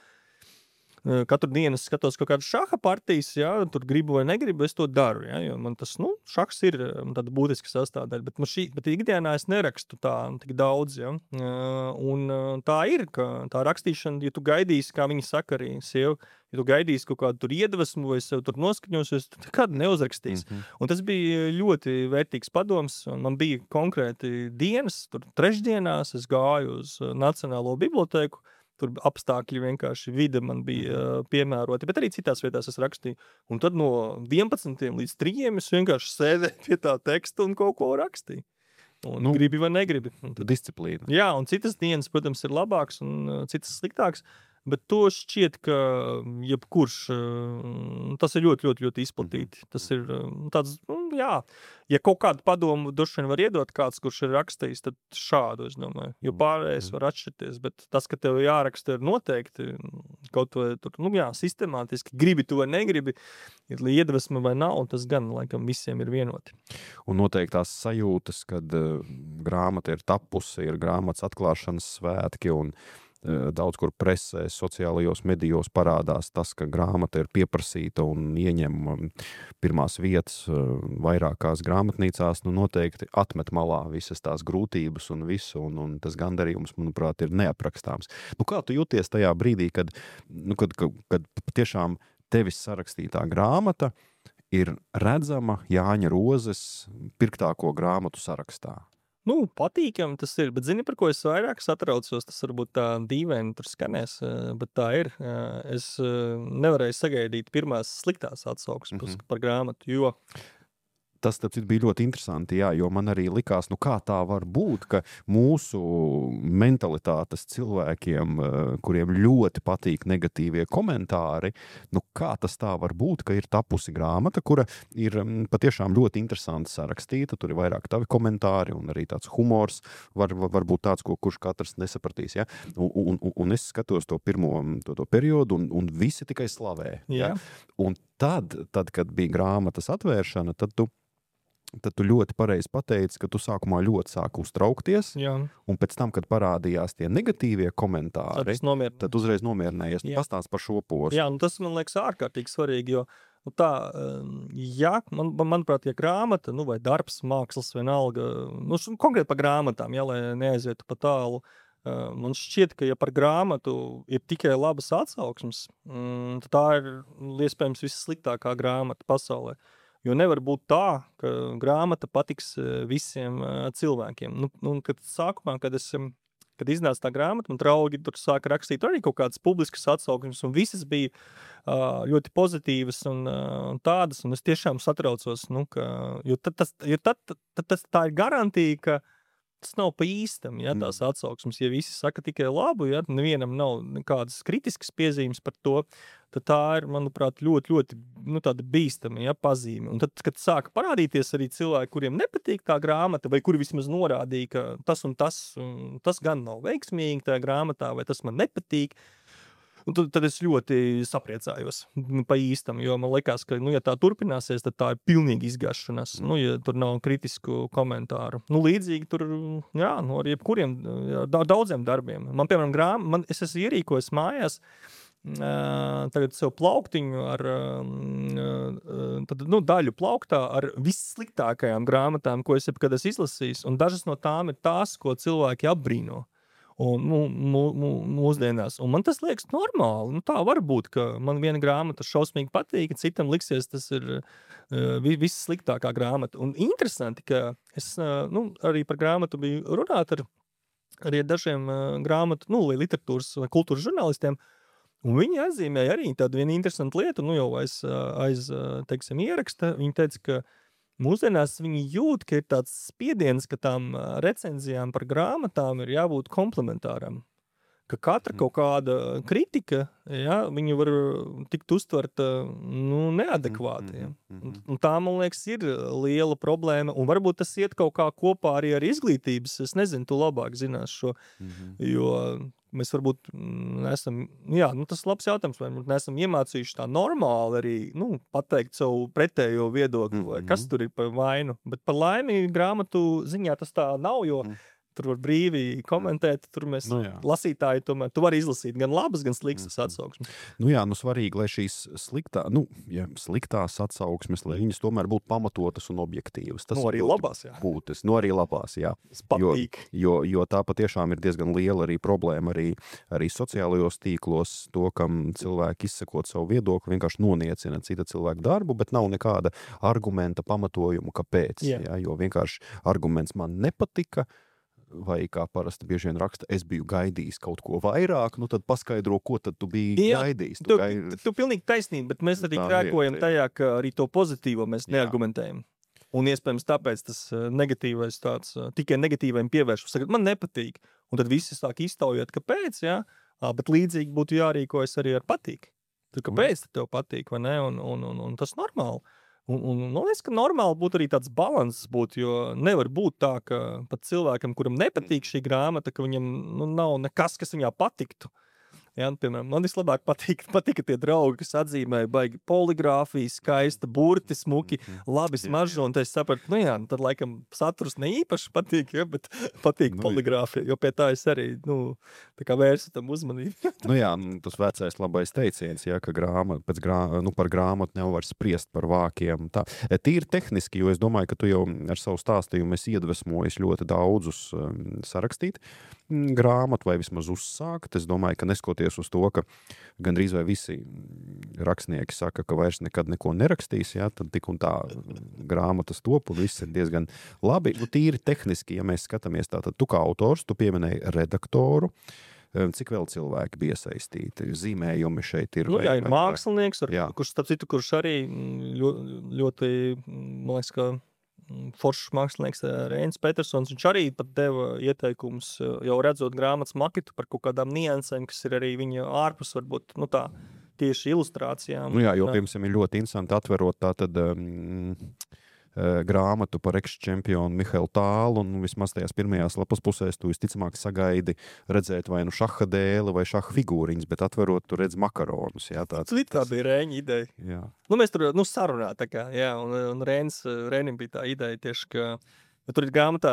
eh, katru dienu es skatos kaut kādu šaha partijas, jā, tur gribu vai negribu, es to daru, jā, jo man tas, nu, šahs ir eh, tāda būtiska sastāvdaļa, bet, man šī, bet ikdienā es nerakstu tā tik daudz, jā. Eh, Un eh, tā ir, ka tā rakstīšana, ja tu gaidīsi, kā viņi saka arī sieva, ja tu gaidīsi kaut kādu tur iedvesmu vai sev tur noskaņosies, tad nekad neuzrakstīs. Mhm. Un tas bija ļoti vērtīgs padoms, un man bija konkrēti dienas, tur trešdienās es gāju uz eh, Nacionālo bibliotēku, tur apstākļi vienkārši vide man bija uh, piemēroti, bet arī citās vietās es rakstīju. Un tad no vienpadsmitiem līdz trījiem es vienkārši sēdēju pie tā teksta un kaut ko rakstīju. Un Nu, nu, gribi vai negribi. Un tad, Disciplīna. jā, un citas dienas, protams, ir labāks un uh, citas sliktāks, bet to šķiet, ka jebkurš, uh, tas ir ļoti, ļoti, ļoti izplatīti. Tas ir uh, tāds, nu, jā, ja kaut kādu padomu droši vien var iedot kāds, kurš ir rakstījis, tad šādu, es domāju, jo pārējais var atšķirties, bet tas, ka tev jāraksta ir noteikti, kaut vai tur, nu jā, sistemātiski, gribi tu vai negribi, ir iedvesma vai nav, un tas gan, laikam, visiem ir vienoti. Un noteikti tās sajūtas, kad uh, grāmata ir tapusi, ir grāmatas atklāšanas svētki un uh, daudz kur presē, sociālajos medijos parādās tas, ka grāmata ir pieprasīta un ieņem um, pirmās vietas uh, vairākās grāmatnīcās, nu noteikti atmet malā visas tās grūtības un visu, un, un tas gandarījums, manuprāt, ir neaprakstāms. Nu, kā tu jūties tajā brīdī, kad, nu, kad, kad, kad tiešām tevis sarakstītā grāmata ir redzama Jāņa Rozes pirktāko grāmatu sarakstā? Nu, patīkami tas ir, bet zini, par ko es vairāk satraucos, tas varbūt tā dīvaini tur skanēs, eh, bet tā ir. Eh, Es eh, nevarēju sagaidīt pirmās sliktās atsauksmes Mhm. par grāmatu, jo Tas tāpēc bija ļoti interesanti, jā, jo man arī likās, nu kā tā var būt, ka mūsu mentalitātes cilvēkiem, eh, kuriem ļoti patīk negatīvie komentāri, nu kā tas tā var būt, ka ir tapusi grāmata, kura ir mm, patiešām ļoti interesanti sarakstīta, tur ir vairāk tavi komentāri un arī tāds humors var, var, var būt tāds, ko kurš katrs nesapratīs, ja? un, un, un, un es skatos to pirmo to, to periodu un, un visi tikai slavē. Ja? Jā. Un tad, tad, kad bija grāmatas atvēršana, tad tu tad tu ļoti pareizi pateici, ka tu sākumā ļoti sāki uztraukties, Jā, un pēc tam, kad parādījās tie negatīvie komentāri, tas nomierina. tad uzreiz nomierinājies. Jā. Pastāst par šo posmu. Jā, un tas man liekas ārkārtīgi svarīgi, jo nu, tā, um, ja, man, man- manuprāt, ja grāmata, nu, vai darbs, mākslas, vienalga, nu, š- konkrēti par grāmatām, ja, lai neaizietu pa tālu, uh, man šķiet, ka ja par grāmatu ir tikai labas atsauksmes, mm, tad tā ir iespējams vissliktākā grāmata pasaulē. Jo nevar būt tā, ka grāmata patiks eh, visiem eh, cilvēkiem. Nu, nu, kad sākumā, kad, es, em, kad iznāca tā grāmata, man draugi tur sāka rakstīt arī kaut kādas publiskas atsauksmes, un visas bija uh, ļoti pozitīvas un uh, tādas, un es tiešām satraucos, nu, ka, jo, tad, tas, jo tad, tad, tad tas, tā ir garantija, ka tas nav pa īstam, ja, tās atsauksmes. Ja visi saka tikai labu, ja nevienam nav nekādas kritiskas piezīmes par to, tad tā ir, manuprāt, ļoti, ļoti nu, tāda bīstama, ja, pazīme. Un tad, kad sāka parādīties arī cilvēki, kuriem nepatīk tā grāmata, vai kuri vismaz norādīja, ka tas un tas, un tas gan nav veiksmīgi tajā grāmatā, vai tas man nepatīk, Un tad, tad es ļoti sapriecājos pa īstam, jo man liekas, ka, nu, ja tā turpināsies, tad tā ir pilnīgi izgašanās, nu, ja tur nav kritisku komentāru. Nu, līdzīgi tur, jā, nu, ar jebkuriem, jā, daudziem darbiem. Man, piemēram, grām, man, es esmu ierīkojis mājās, Uh, tagad sev plauktiņu ar uh, tad, nu, daļu plauktā ar vissliktākajām grāmatām, ko es jebkad esmu izlasījis, un dažas no tām ir tās, ko cilvēki apbrīno. Un, nu, mū, mū, mūsdienās. Un man tas liekas normāli. Nu, tā var būt, ka man viena grāmata šausmīgi patīk, citam liksies, tas ir uh, viss sliktākā grāmata. Un interesanti, ka es uh, nu, arī par grāmatu biju runāt ar, arī ar dažiem uh, grāmatu, nu, literatūras vai kultūras žurnālistiem. Un viņi atzīmēja arī tādu vienu interesantu lietu, nu jau aiz, aiz teiksim, ieraksta. Viņi teica, ka mūsdienās viņi jūt, ka ir tāds spiediens, ka tām recenzijām par grāmatām ir jābūt komplementāram. Ka katra kaut kāda kritika, ja, viņi var tikt uztverta nu, neadekvāti. Ja. Un, un tā, man liekas, ir liela problēma. Un varbūt tas iet kaut kā kopā arī ar izglītības. Es nezinu, tu labāk zinās šo, mm-hmm. jo mēs varbūt nesam, jā, nu tas labs jautājums, vai nesam iemācījuši tā normāli arī, nu, pateikt savu pretējo viedokli, mm-hmm. vai kas tur ir par vainu. Bet par laimi grāmatu ziņā tas tā nav, jo mm. tur var brīvi komentēt, tur mēs nu, lasītāji tomēr, tu vari izlasīt gan labas, gan sliktas mm. atsauksmes. Nu jā, nu svarīgi, lai šīs sliktā, nu, ja, sliktās atsauksmes, lai viņas tomēr būtu pamatotas un objektīvas. Tas nu arī labās, jā. Būtis, nu arī labās, jā. Jo, jo, jo tā patiešām ir diezgan liela arī problēma arī, arī sociālajos tīklos, to, kam cilvēki izsakot savu viedokli, vienkārši noniecina cita cilvēka darbu, bet nav nekāda argumenta pamatojumu, kāpēc. Jā. Jā, jo vienkārši arguments man nepatika, vai kā parasti bieži vien raksta, es biju gaidījis kaut ko vairāk, nu tad paskaidro, ko tad tu biji Jā, gaidījis. Tu, tu, gaid... tu pilnīgi taisnība, bet mēs arī krēkojam tajā, ka arī to pozitīvo mēs Jā. neargumentējam. Un iespējams tāpēc tas negatīvais tāds, tikai negatīvajiem pievērš. Saka, man nepatīk. Un tad visi sāk iztaujāt, kāpēc, jā, bet līdzīgi būtu jārīkojas arī ar patīk. Tad kāpēc mm. tev patīk, vai ne? Un, un, un, un tas normāli. Un, un man liekas, ka normāli būtu arī tāds balanss būt, jo nevar būt tā, ka pat cilvēkam, kuram nepatīk šī grāmata, ka viņam nu, nav nekas, kas viņā patiktu. Ja, piemēram, man vislabāk patīk, patika tie draugi, kas atzīmēja baigi poligrāfiju, skaista, burti, smuki, labi smaržo, un es sapratu, nu jā, tad laikam saturs ne īpaši patīk, ja, bet patīk nu, poligrāfija, jo pie tā es arī, nu, tā kā vērsu tam uzmanību. Nu jā, tas vecais labais teiciens, ja, ka grāmat, pēc grā, nu, par grāmatu nevar spriest par vākiem. Tā. Tīri tehniski, jo es domāju, ka tu jau ar savu stāstījumu esi iedvesmojis ļoti daudzus um, sarakstīt grāmatu vai vismaz uzsākt. Es domāju, ka neskoties uz to, ka gandrīz vai visi rakstnieki saka, ka vairs nekad neko nerakstīs, ja, tad tik un tā grāmatas top un viss ir diezgan labi. Nu, tīri tehniski, ja mēs skatāmies tā, tad tu kā autors, tu pieminēji redaktoru. Cik vēl cilvēki bija iesaistīti? Zīmējumi šeit ir. Nu, jā, ir mākslinieks, ar, kurš, starp citu, kurš arī ļoti, ļoti man liekas, ka foršs mākslinieks Reinis Petersons, viņš arī pat deva ieteikumus, jau redzot grāmatas maketu par kaut kādām niansēm, kas ir arī viņa ārpus, varbūt, nu tā, tieši ilustrācijām. Nu jā, jo, piemēram, ir ļoti interesanti atverot tā tad um, grāmatu par ekс-čempionu Mihailu Tālu, un vismaz tajās pirmajās lapas pusēs tu visticamāk sagaidi redzēt vai nu šaha dēli vai šaha figūriņas, bet atverot tu redz makaronus. Jā, tāds, tā bija Rēņa ideja. Jā. Nu, mēs tur, nu, sarunā tā kā, jā, un, un Rēnis, Rēnim bija tā ideja tieši, ka ja tur ir grāmatā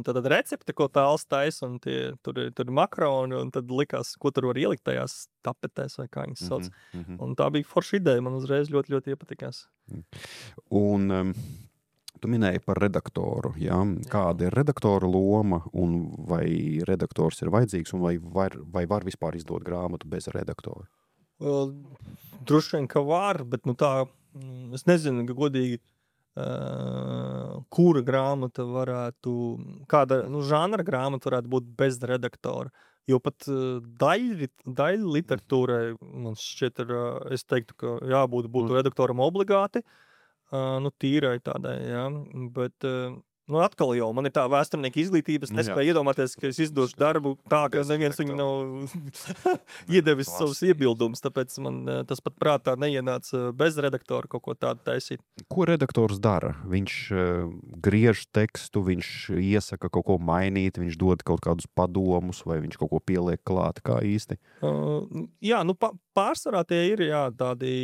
tāda recepte, ko Tāls taisa, un tie, tur, tur ir makaroni, un tad likās, ko tur var ielikt tajās tapetēs, vai kā viņas sauc. Mm -hmm. Un tā bija forša ideja, man uzreiz ļoti, ļoti iepatikās. Un um, tu minēji par redaktoru, jā? Kāda ir redaktora loma, un vai redaktors ir vajadzīgs, un vai var, vai var vispār izdot grāmatu bez redaktora? Well, droši vien, ka var, bet nu tā, es nezinu, ka godīgi, Uh, kura grāmata varētu, kāda nu, žanra grāmata varētu būt bez redaktora. Jo pat uh, daļa, daļa literatūrai, man šķiet, ir, uh, es teiktu, ka jābūt būtu redaktoram obligāti, uh, nu tīrai tādai, jā, bet uh, Nu, atkal jau man ir tā vēsturnieka izglītība, es nespēju iedomāties, ka es izdošu darbu tā, ka neviens viņu nav iedevis savus iebildumus, tāpēc man tas pat prātā neienāca bez redaktora kaut ko tādu taisīt. Ko redaktors dara? Viņš uh, griež tekstu, viņš iesaka kaut ko mainīt, viņš dod kaut kādus padomus, vai viņš kaut ko pieliek klāt, kā īsti? Uh, jā, nu pa, pārsvarā tie ir, jā, tādi...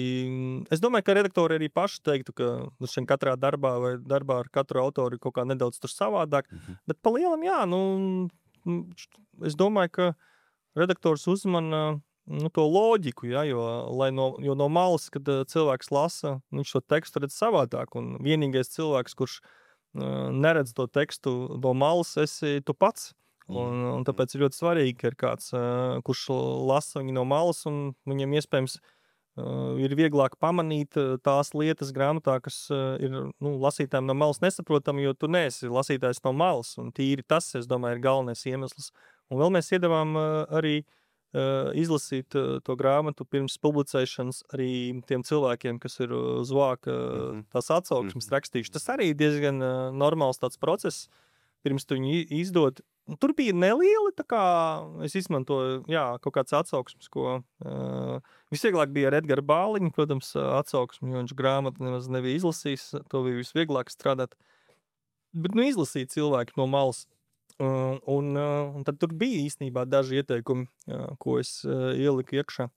Es domāju, ka redaktori arī paši teiktu, ka nu, šeit katrā darbā vai darbā ar katru autoru kaut kā nedaudz tur savādāk, mm-hmm. bet pa lielam, jā, nu, es domāju, ka redaktors uzmana nu, to loģiku, jā, jo, lai no, jo no malas, kad cilvēks lasa, viņš šo tekstu redz savādāk, un vienīgais cilvēks, kurš uh, neredz to tekstu no malas, esi tu pats. Un, un tāpēc ir ļoti svarīgi, ka ir kāds, uh, kurš lasa viņu no malas, un viņam iespējams Uh, ir vieglāk pamanīt uh, tās lietas grāmatā, kas uh, ir nu, lasītājiem no malas nesaprotami, jo tu neesi lasītājs no malas, un tīri tas, es domāju, ir galvenais iemesls. Un vēl mēs iedavām uh, arī uh, izlasīt uh, to grāmatu pirms publicēšanas arī tiem cilvēkiem, kas ir uz vāka uh, tās atsauksmes mm-hmm. rakstījuši. Tas arī ir diezgan uh, normāls tāds process, pirms tu viņu izdod. Tur bija nelieli, tā kā es izmantoju, jā, kaut kāds atsauksmes, ko uh, visvieglāk bija ar Edgara Bāliņu, protams, atsauksmi, jo viņš grāmatu nemaz nebija izlasījis, to bija visvieglāk strādāt. Bet, nu, izlasīt cilvēki no malas. Uh, un, uh, un tad tur bija īstenībā daži ieteikumi, uh, ko es uh, ieliku iekšā.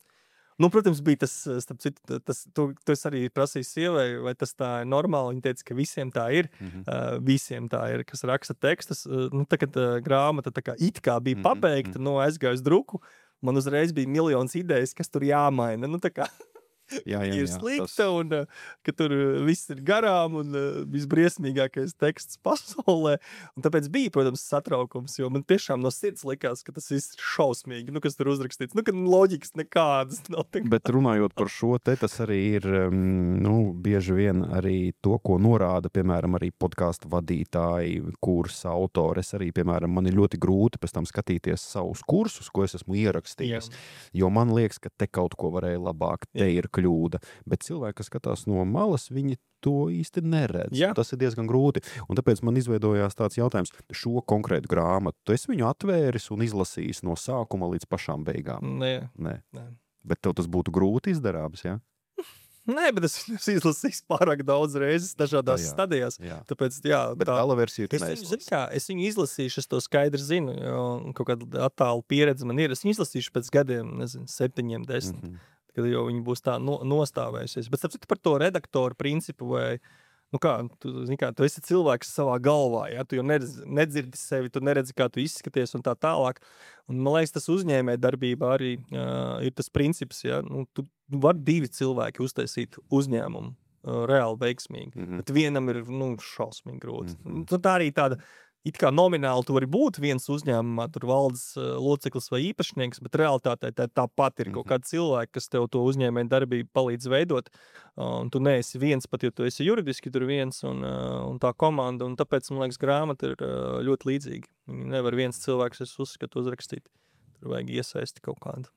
Nu, protams, bija tas, starp citu, tas, tu, tu arī prasīji sievai, vai tas tā ir normāli. Viņa teica, ka visiem tā ir, mm-hmm. uh, visiem tā ir, kas raksta tekstus. Uh, nu, tagad uh, grāmata tā kā it kā bija mm-hmm. pabeigta, no aizgāju uz druku, man uzreiz bija miljons idejas, kas tur jāmaina. Nu, tā kā jā, jā, ir jā, slikta tas... un uh, ka tur viss ir garām un uh, visbriesmīgākais teksts pasaulē. Un tāpēc bija, protams, satraukums, jo man tiešām no sirds likās, ka tas viss ir šausmīgi, nu, kas tur uzrakstīts. Nu, ka loģikas nekādas nav. Bet runājot par šo te, tas arī ir, nu, bieži vien arī to, ko norāda, piemēram, arī podcastu vadītāji, kursa autori. Es arī, piemēram, man ir ļoti grūti pēc tam skatīties savus kursus, ko es esmu ierakstījis, jā. Jo man liekas, ka te kaut ko varēja labāk, te ir kļūda, bet cilvēki, kas skatās no malas, viņi to īsti neredz. Jā. Tas ir diezgan grūti. Un tāpēc man izveidojās tāds jautājums, šo konkrētu grāmatu, tu esi viņu atvēris un izlasījis no sākuma līdz pašām beigām? Nē. Nē. Nē. Bet tev tas būtu grūti izdarāms, jā? Nē, bet es esmu izlasījis pārāk daudz reizes dažādās jā, stadijās. Jā. Tāpēc, jā, bet tā, gala versija tu neizlasīsi. Kā, es viņu izlasīšu, es to skaidri zinu, jo kaut kāda attāla pieredze man ir. Es viņu izlasīšu pēc gadiem, nezinu, septiņiem, desmit. Mm-hmm. Kad jau viņi būs tā no, nostāvējusies. Bet sapcīt par to redaktoru principu, vai, nu kā, tu, zini kā, tu esi cilvēks savā galvā, ja? Tu jau neredz, nedzirdi sevi, tu neredzi, kā tu izskaties un tā tālāk. Un man liekas, tas uzņēmē darbībā arī uh, ir tas princips, ja? Nu, tu var divi cilvēki uztaisīt uzņēmumu uh, reāli veiksmīgi, mm-hmm. bet vienam ir, nu, šausmīgi grūti. Mm-hmm. Nu, tā arī tāda, it kā nomināli tu vari būt viens uzņēmumā, tur valdes uh, loceklis vai īpašnieks, bet realitātē tā, tāpat ir mm-hmm. kaut kādi cilvēki, kas tev to uzņēmēju darbību palīdz veidot. Uh, un tu neesi viens, pat jo tu esi juridiski tur viens un, uh, un tā komanda. Un tāpēc, man liekas, grāmata ir uh, ļoti līdzīga. Nevar viens cilvēks, es uzskatu, uzrakstīt. Tur vajag iesaisti kaut kādu.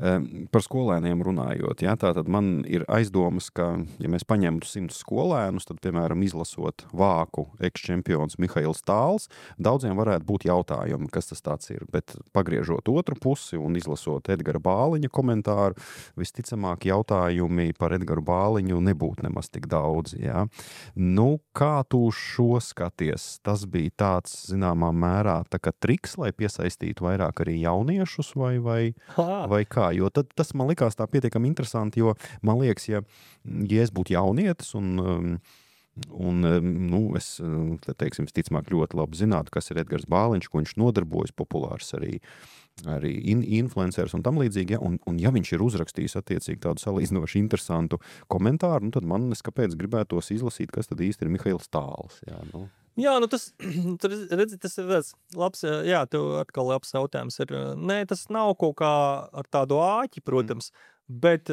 Par skolēniem runājot, ja, tātad man ir aizdomas, ka, ja mēs paņemtu simtus skolēnus, tad, piemēram, izlasot vāku ekščempions Mihails Tāls, daudziem varētu būt jautājumi, kas tas tāds ir, bet pagriežot otru pusi un izlasot Edgara Bāliņa komentāru, visticamāk jautājumi par Edgaru Bāliņu nebūtu nemaz tik daudz, ja. Nu, kā tu šo skaties? Tas bija tāds, zināmā mērā, tā kā triks, lai piesaistītu vairāk arī jauniešus vai, vai, vai kā? Jo tad, tas man likās tā pietiekami interesanti, jo man liekas, ja, ja es būtu jaunietis un, un nu, es, te teiksim, ticamāk ļoti labi zinātu, kas ir Edgars Bāliņš, ko viņš nodarbojas, populārs arī, arī in, influenceris un tam līdzīgi, ja, un, un ja viņš ir uzrakstījis attiecīgi tādu salīdzinoši interesantu komentāru, nu, tad man es kāpēc gribētos izlasīt, kas tad īsti ir Mihails Tāls, jā, nu. Jā, nu tas, tur, redzi, tas ir tāds labs, jā, tev atkal labs jautājums ir, nē, tas nav kaut kā ar tādu āķi, protams, mm. bet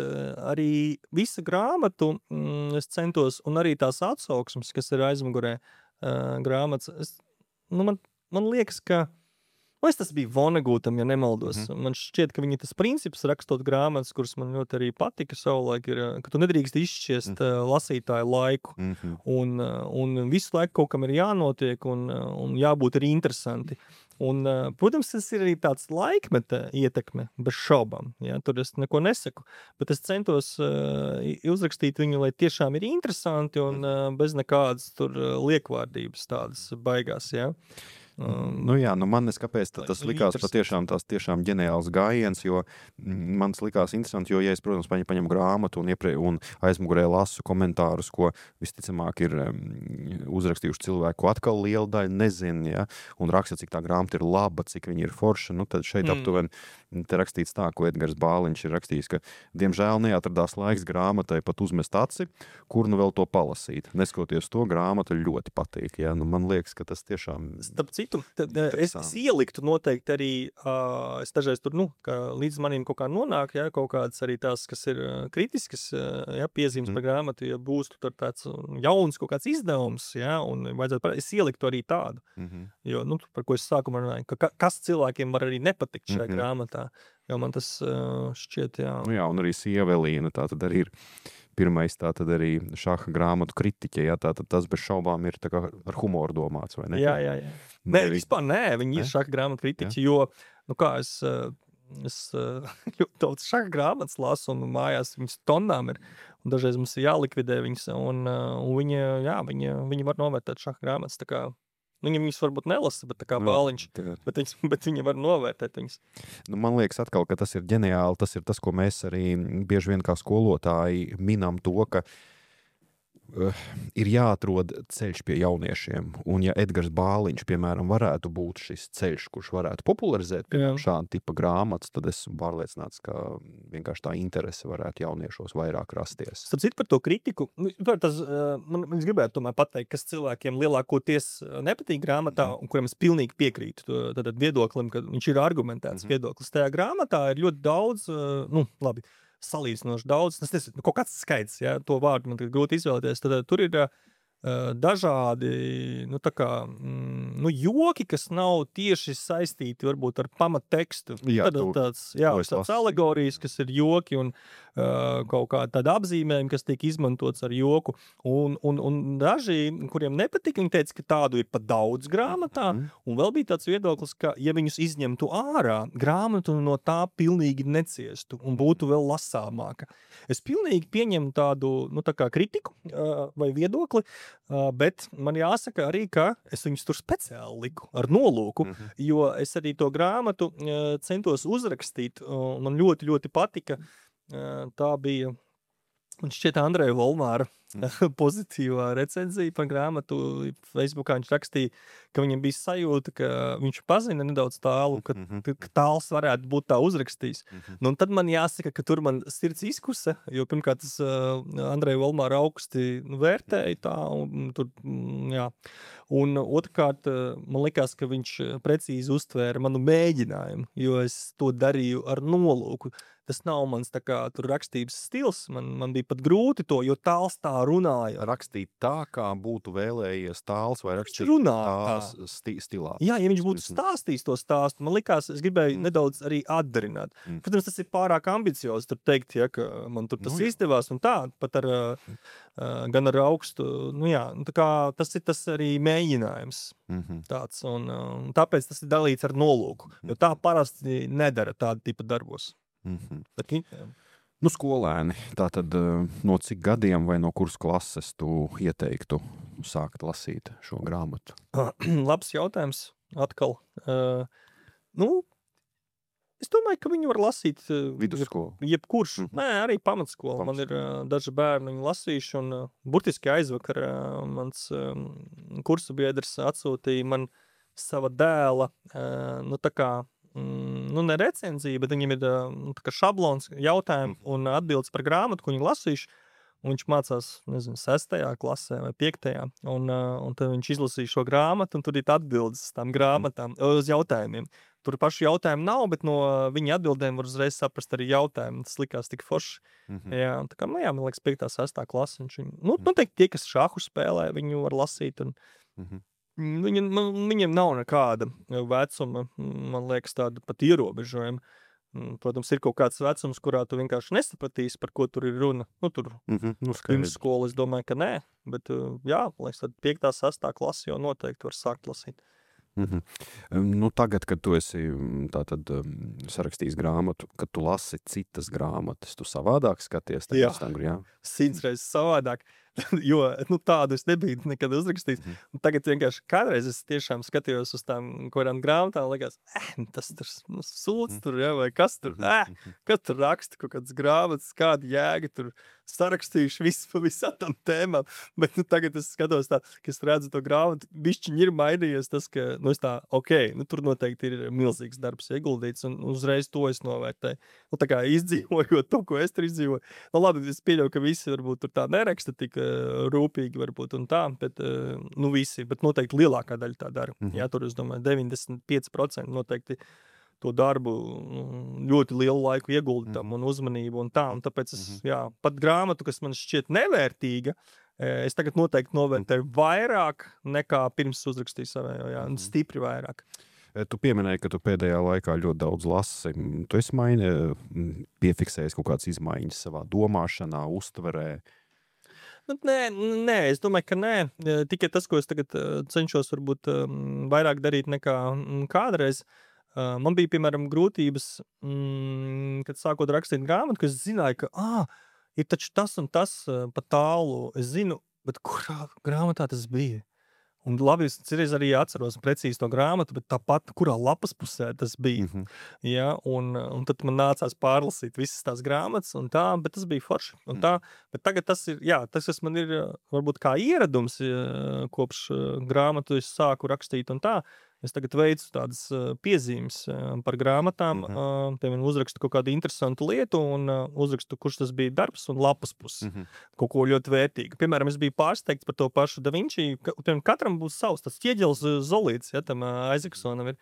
arī visa grāmatu mm, es centos, un arī tās atsauksmes, kas ir aizmugurē uh, grāmatas, es, nu man, man liekas, ka Vai tas bija Vonegūtam, ja nemaldos. Mhm. Man šķiet, ka viņa tas princips rakstot grāmatas, kuras man ļoti arī patika savulaik, ir, ka tu nedrīkst izšķiest Mhm. uh, lasītāju laiku. Mhm. Un, uh, un visu laiku kaut kam ir jānotiek un, uh, un jābūt arī interesanti. Un, uh, protams, tas ir arī tāds laikmeta ietekme, bez šaubām. Ja? Tur es neko nesaku. Bet es centos uh, uzrakstīt viņu, lai tiešām ir interesanti un uh, bez nekādas tur uh, liekvārdības tādas baigās. Ja? Um, nu jā, nu man neskapēc tas likās patiešām tās tiešām ģeniāls gājiens, jo man tas likās interesanti, jo, ja es, protams, paņem, paņem grāmatu un, ieprie, un aizmugurē lasu komentārus, ko visticamāk ir um, uzrakstījuši cilvēku, ko atkal liela daļa nezin, ja, un raksta, cik tā grāmata ir laba, cik viņa ir forša, nu tad šeit mm. aptuveni te rakstīts tā, ko Edgars Bāliņš ir rakstījis, ka diemžēl neatradās laiks grāmatai pat uzmest aci, kur nu vēl to palasīt. Neskoties to, grāmata ļoti patīk, ja, nu man liekas, ka tas tiešām... Starp citu, tad, es, es ieliktu noteikti arī, uh, es dažreiz tur, nu, ka līdz maniem kaut kā nonāk, ja, kaut kādas arī tās, kas ir uh, kritiskas, uh, ja, piezīmes mm. par grāmatu, ja būs tur tāds jauns kaut kāds izdevums, ja, un vajadzētu, es ieliktu arī tādu, mm-hmm. jo, nu, par ko es sākumā runāju, ka kas cilvēkiem var arī nepatikt šajā mm-hmm. grāmatā, jo man tas uh, šķiet, jā. Nu jā, un arī Sievelīna, tā tad arī ir pirmais tā tad arī šaha grāmatu kritiķe, jā, tā tad tas bez šaubām ir tā kā ar humoru domāts, vai ne? Jā, jā, jā. Nē, vispār nē, viņi ne? ir šaha grāmatu kritiķi, jā. jo, nu kā, es, es ļoti daudz šaha grāmatas lasu, un mājās viņas tonnām ir, un dažreiz mums ir jālikvidē viņas, un, un viņi, jā, viņi, viņi var novērtēt šaha grāmatas, tā kā, nu, viņas varbūt nelasa, bet tā kā no, Bāliņš, bet, viņas, bet viņi var novērtēt viņas. Nu, man liekas atkal, ka tas ir ģeniāli, tas ir tas, ko mēs arī bieži vien kā skolotāji minam to, ka uh, ir jāatrod ceļš pie jauniešiem, un ja Edgars Bāliņš, piemēram, varētu būt šis ceļš, kurš varētu popularizēt šādu tipa grāmatas, tad esmu pārliecināts, ka vienkārši tā interese varētu jauniešos vairāk rasties. Starp citu par to kritiku, tas, man, man es gribētu tomēr pateikt, kas cilvēkiem lielākoties nepatīk grāmatā, mm. un kuriem es pilnīgi piekrītu tad viedoklim, ka viņš ir argumentēts mm-hmm. viedoklis. Tajā grāmatā ir ļoti daudz, nu, labi, salīdzinoši daudz, tas nezinu, kaut kāds skaits, ja, to vārdu man grūti izvēlēties, tad tur ir uh, dažādi, nu, tā kā, mm, nu, joki, kas nav tieši saistīti varbūt ar pamattekstu. Jā, tad tu, tāds, jā, tāds alegorijas, kas ir joki un uh, kaut kā tāda apzīmējuma, kas tiek izmantots ar joku. Un, un, un daži, kuriem nepatika, viņi teica, ka tādu ir pa daudz grāmatā, mm. un vēl bija tāds viedoklis, ka, ja viņus izņemtu ārā, grāmatu no tā pilnīgi neciestu un būtu vēl lasāmāka. Es pilnīgi pieņemu tādu, nu, tā kā kritiku uh, vai viedokli, uh, bet man jāsaka arī, ka es viņus tur speciāli liku ar nolūku, mm-hmm. jo es arī to grāmatu uh, centos uzrakstīt, uh, man ļoti, ļoti patika. Uh, tā bija, man šķiet, Andreja Volmāra mm. pozitīvā recenzija par grāmatu. Facebookā viņš rakstīja, ka viņam bija sajūta, ka viņš pazina nedaudz tālu, ka, mm-hmm. ka tāls varētu būt tā uzrakstījis. Mm-hmm. Nu, un tad man jāsaka, ka tur man sirds izkusa, jo pirmkārt tas uh, Andreja Volmāra augsti nu, vērtēja tā, un tur, mm, jā. Un otrkārt, uh, man likās, ka viņš precīzi uztvēra manu mēģinājumu, jo es to darīju ar nolūku. Tas nav mans tā kā tur rakstības stils, man, man bija pat grūti to, jo tāls tā runāja. Rakstīt tā, kā būtu vēlējies tāls vai rakstīt tās sti stilā. Jā, ja viņš būtu stāstījis to stāstu, man likās, es gribēju mm. nedaudz arī atdarināt. Mm. Protams, tas ir pārāk ambiciozi, tur teikt, ja, ka man tur tas nu, izdevās un tā, pat ar, uh, gan ar augstu, nu jā, tā kā tas ir tas arī mēģinājums mm-hmm. tāds, un uh, tāpēc tas ir dalīts ar nolūku, jo tā parasti nedara tāda tipa darbos. Mm-hmm. Bet, nu, skolēni, tātad no cik gadiem vai no kuras klases tu ieteiktu sākt lasīt šo grāmatu? Labs jautājums atkal. Uh, nu, es domāju, ka viņu var lasīt uh, vidusskolu. Jebkurš. Mm-hmm. Nē, arī pamatskola. Pamatskola. Man ir uh, daži bērni viņu lasījuši, un uh, burtiski aizvakar uh, mans um, kursa biedrs atsūtīja man sava dēla, uh, nu tā kā Mm, nu, ne recenzija, bet viņam ir nu, tā kā šablons jautājumi un atbildes par grāmatu, ko viņi lasījuši. Un viņš mācās, nezinu, sestajā klasē vai piektajā. Un, uh, un tad viņš izlasīja šo grāmatu, un tur ir atbildes tām grāmatām, uz jautājumiem. Tur pašu jautājumu nav, bet no viņa atbildēm var uzreiz saprast arī jautājumu. Tas likās tik forši. Mm-hmm. Jā, tā kā, nu jā, man liekas, piektā, sestā klase. Viņš viņu, nu, noteikti tie, kas šāhu spēlē, viņu var lasīt. Un, mm-hmm. Viņi, man, viņiem nav nekāda vecuma, man liekas, tāda pat ierobežojuma. Protams, ir kaut kāds vecums, kurā tu vienkārši nesapratīsi, par ko tur ir runa. Nu, tur Mm-hmm. Nu, pirms skola, es domāju, ka nē. Bet, jā, liekas, tad piektā, sastā klasi jau noteikti var sākt lasīt. Mm-hmm. Nu, tagad, kad tu esi tātad, um, sarakstījis grāmatu, kad tu lasi citas grāmatas, tu savādāk skaties? Jā, tam, jā? simts reizes savādāk, jo nu, tādu es nebiju nekad uzrakstījis. Mm-hmm. Tagad vienkārši kādreiz es tiešām skatījos uz tām kādām grāmatām, likās, eh, tas tur nu, sūds mm-hmm. tur, ja, vai kas tur, eh, kas tur raksta, kaut kādas grāmatas, kāda jēga tur sarakstījuši visu pa visām tām tēmām. Bet nu, tagad es skatos tā, ka es redzu to grāmatu, bišķiņi ir mainījies tas, ka, nu, es tā, ok, nu, tur noteikti ir milzīgs darbs ieguldīts, un uzreiz to es novērtēju. Nu, tā kā izdzīvojot to, ko es tur izdzīvoju. Nu, labi, es pieļauju, ka visi varbūt tur tā neraksta tik uh, rūpīgi varbūt un tā, bet, uh, nu, visi, bet noteikti lielākā daļa tā dara. Mm-hmm. Jā, tur, es domāju, deviņdesmit pieci procenti noteikti to darbu ļoti lielu laiku ieguldi tam un uzmanību un tā, un tāpēc es, mm-hmm. jā, pat grāmatu, kas man šķiet nevērtīga, es tagad noteikti novērtēju vairāk nekā pirms uzrakstīju savējo, jā, un stipri vairāk. Tu pieminēji, ka tu pēdējā laikā ļoti daudz lasi. Tu esi maini, piefiksējis kaut kādas izmaiņas savā domāšanā, uztverē? Nu, nē, nē, es domāju, ka nē. Tikai tas, ko es tagad cenšos varbūt vairāk darīt nekā kādreiz. Man bija, piemēram, grūtības, mm, kad sākot rakstīt grāmatu, ka es zināju, ka ā, ir taču tas un tas pa tālu. Es zinu, bet kurā grāmatā tas bija? Un labi, es citreiz arī atceros precīzi to grāmatu, bet tāpat, kurā lapas pusē tas bija. Mm-hmm. Ja, un, un tad man nācās pārlasīt visas tās grāmatas un tā, bet tas bija forši. Un tā, bet tagad tas ir, jā, tas, kas man ir varbūt kā ieradums, kopš grāmatu es sāku rakstīt un tā, es tagad veicu tādas piezīmes par grāmatām, mm-hmm. piemēram, uzrakstu kaut kādu interesantu lietu un uzrakstu, kurš tas bija darbs un lapas puses. Mm-hmm. Kaut ko ļoti vērtīgu. Piemēram, es biju pārsteigts par to pašu Da Vinci, ka katram būs savs, tas ķieģelis Zolīts, ja, tam Aizaksonam ir.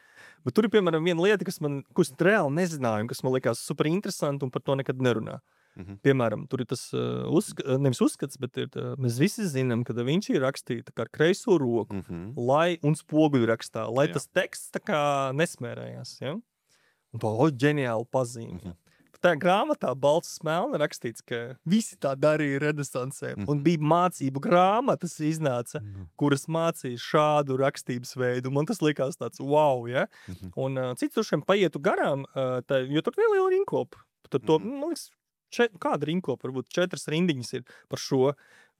Bet tur ir, piemēram, viena lieta, kas man, ko es reāli nezināju, kas man likās super interesanti un par to nekad nerunā. Mm-hmm. Piemēram, tur ir tas uh, uzsk nevis uzskats, bet ir, tā, mēs visi zinām, ka Da Vinci ir rakstīta kā ar kreiso roku, mm-hmm. lai, un spoguļu rakstā, lai Jā. Tas teksts tā kā nesmērējās. Ja? Un to o, ģeniāli pazīme. Mm-hmm. Tā grāmatā balts smelni rakstīts, ka visi tā darīja renesansē. Mm-hmm. Un bija mācību grāmatas iznāca, mm-hmm. kuras mācīja šādu rakstības veidu. Man tas likās tāds wow, ja? Mm-hmm. Un uh, cits tur šiem paietu garām, uh, tā, jo tur neliela rinkopa. Tad to, mm-hmm. man liekas, Čet, kāda rinkopa, varbūt četras rindiņas ir par šo,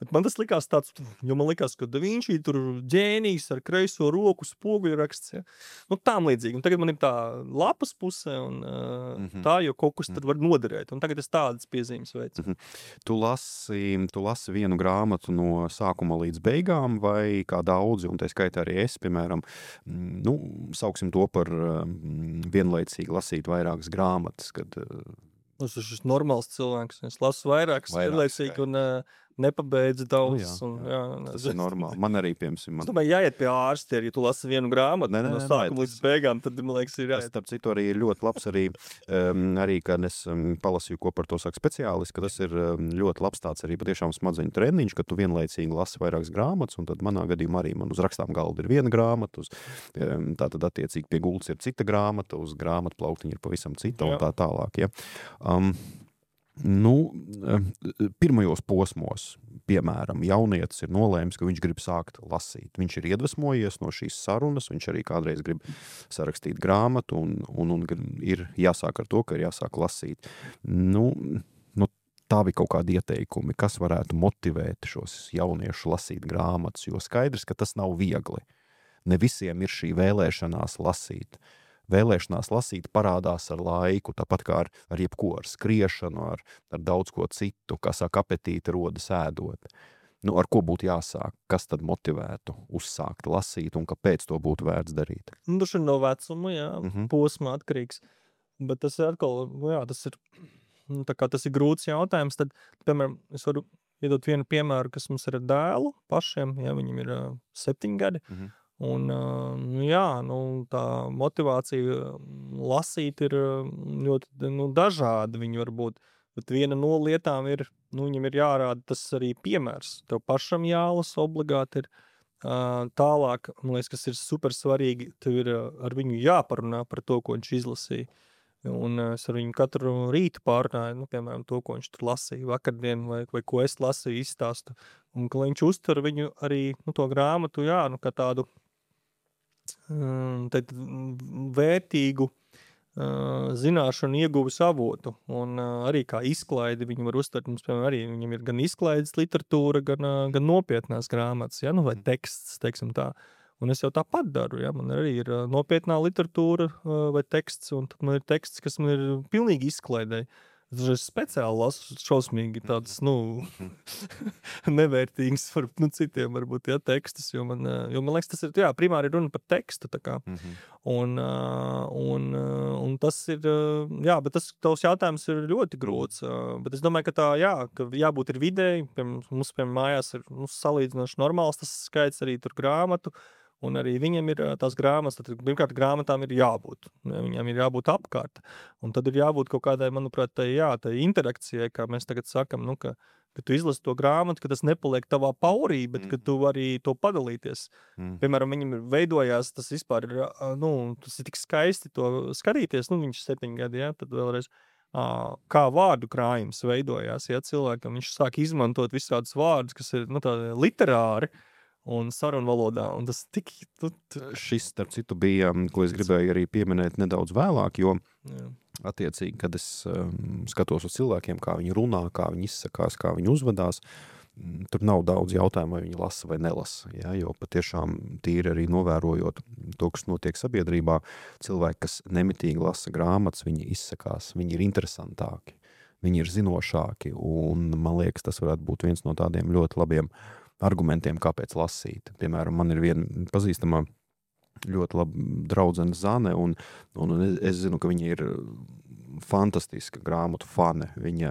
bet man tas likās tāds, jo man likās, ka Da Vinci tur ģēnijs ar kreiso roku spoguļu raksts, ja? Nu tām līdzīgi, un tagad man ir tā lapas puse un uh, mm-hmm. tā, jo kaut kas tad var noderēt, un tagad es tādas piezīmes veicu. Mm-hmm. Tu lasi, tu lasi vienu grāmatu no sākuma līdz beigām, vai kā daudzi, un tā skaitā arī es, piemēram, nu, sauksim to par um, vienlaicīgi lasīt vairākas grāmatas, kad uh, Es esmu normāls cilvēks. Es lasu vairākas vienlaicīgi un uh, nepabeidzu daudz. Nu, jā, un, jā. Jā, tas ir normāli. Man arī, piemēram, man... Es domāju, jāiet pie ārsta, ja tu lasi vienu grāmatu ne, ne, no sākuma līdz beigām, tad, man liekas, ir jāiet. Starp citu, arī ir ļoti labs arī, um, arī kad es um, palasīju, ko par to saka speciālisti, ka tas ir um, ļoti labs tāds arī patiešām smadzeņu treniņš, ka tu vienlaicīgi lasi vairākas grāmatas, un tad manā gadījumā arī man uz rakstām galda ir viena grāmata, uz, um, tā tad attiecīgi pie gultas ir cita grāmata, uz grāmatu plauktiņa ir pavisam cita un tā tālāk, ja. Um, Nu, pirmajos posmos, piemēram, jaunietis ir nolēmis, ka viņš grib sākt lasīt. Viņš ir iedvesmojies no šīs sarunas, viņš arī kādreiz grib sarakstīt grāmatu un, un, un ir jāsāk ar to, ka ir jāsāk lasīt. Nu, nu, tā bija kaut kādi ieteikumi, kas varētu motivēt šos jauniešus lasīt grāmatas, jo skaidrs, ka tas nav viegli. Ne visiem ir šī vēlēšanās lasīt. Vēlēšanās lasīt parādās ar laiku, tāpat kā ar, ar jebko, ar skriešanu, ar, ar daudz ko citu, kā saka, apetīti rodas ēdot. Nu, ar ko būtu jāsāk? Kas tad motivētu uzsākt lasīt un kāpēc to būtu vērts darīt? Nu, tas ir no vecuma, jā, mm-hmm. posma atkarīgs. Bet tas ir atkal, jā, tas ir, tā kā tas ir grūts jautājums, tad, piemēram, es varu iedot vienu piemēru, kas mums ir ar dēlu pašiem, ja viņam ir uh, septiņi gadi. Mm-hmm. Un, jā, nu, tā motivācija lasīt ir ļoti nu, dažāda viņi var būt, bet viena no lietām ir, nu, viņam ir jārāda tas arī piemērs. Tev pašam jālasa obligāti ir, Uh, tālāk, man liekas, kas ir super svarīgi, tev ir uh, ar viņu jāparunā par to, ko viņš izlasīja. Un uh, es ar viņu katru rītu pārnāju, nu, piemēram, to, ko viņš tur lasīja vakardien, vai, vai ko es lasīju, izstāstu. Un ka viņš uztver viņu arī, nu, to grāmatu, jā, nu, kā tādu um, tad, vērtīgu uh, zināšanu ieguvis avotu. Un uh, arī kā izklaidi viņu var uztvert. Mums, piemēram, arī viņam ir gan izklaides literatūra, gan, uh, gan nopietnās grāmatas, ja, nu, vai teksts, teiksim tā. Un es jau tāpat daru, ja, man arī ir uh, nopietnā literatūra uh, vai teksts, un tad man ir teksts, kas man ir pilnīgi izklaidēji. Es speciāli lasu šausmīgi tāds, nu, nevērtīgs par nu, citiem varbūt, ja, tekstus, jo man, jo man liekas, tas ir, jā, primāri runa par tekstu, tā kā. Mm-hmm. Un, un, un tas ir, jā, bet tas tavs jautājums ir ļoti grūts, bet es domāju, ka tā, jā, ka jābūt ir vidēji, piemēram, mums, piemēram, mājās ir nu, salīdzinoši normāls tas skaits arī tur grāmatu, un arī viņam ir tās grāmatas, tad pirmkārt grāmatām ir jābūt, viņam ir jābūt apkārt, un tad ir jābūt kaut kādai, manuprāt, tai, jā, tai interakcijai, kā mēs tagad sakam, nu, ka, ka tu izlasi to grāmatu, ka tas nepaliek tavā paurī, bet mm. ka tu vari to padalīties. Mm. Piemēram, viņam ir veidojās, tas vispār ir, nu, tas ir tik skaisti to skatīties, nu, viņš septiņi gadi, jā, tad vēlreiz, kā vārdu krājums veidojās, ja cilvēkam viņš sāk izmantot visādus vārdus, kas ir, nu, tādi literāri, un sarunu valodā, un tas tik... Tu, tu... Šis, starp citu, bija, ko es gribēju arī pieminēt nedaudz vēlāk, jo Jā. Attiecīgi, kad es um, skatos uz cilvēkiem, kā viņi runā, kā viņi izsakās, kā viņi uzvedās, tur nav daudz jautājumu, vai viņi lasa vai nelasa, ja, jo patiešām tīri arī novērojot to, kas notiek sabiedrībā, cilvēki, kas nemitīgi lasa grāmatas, viņi izsakās, viņi ir interesantāki, viņi ir zinošāki, un man liekas, tas varētu būt viens no tādiem ļoti labiem argumentiem, kāpēc lasīt. Piemēram, man ir viena pazīstamā ļoti laba draudzene Zane, un, un es zinu, ka viņa ir fantastiska grāmatu fane. Viņa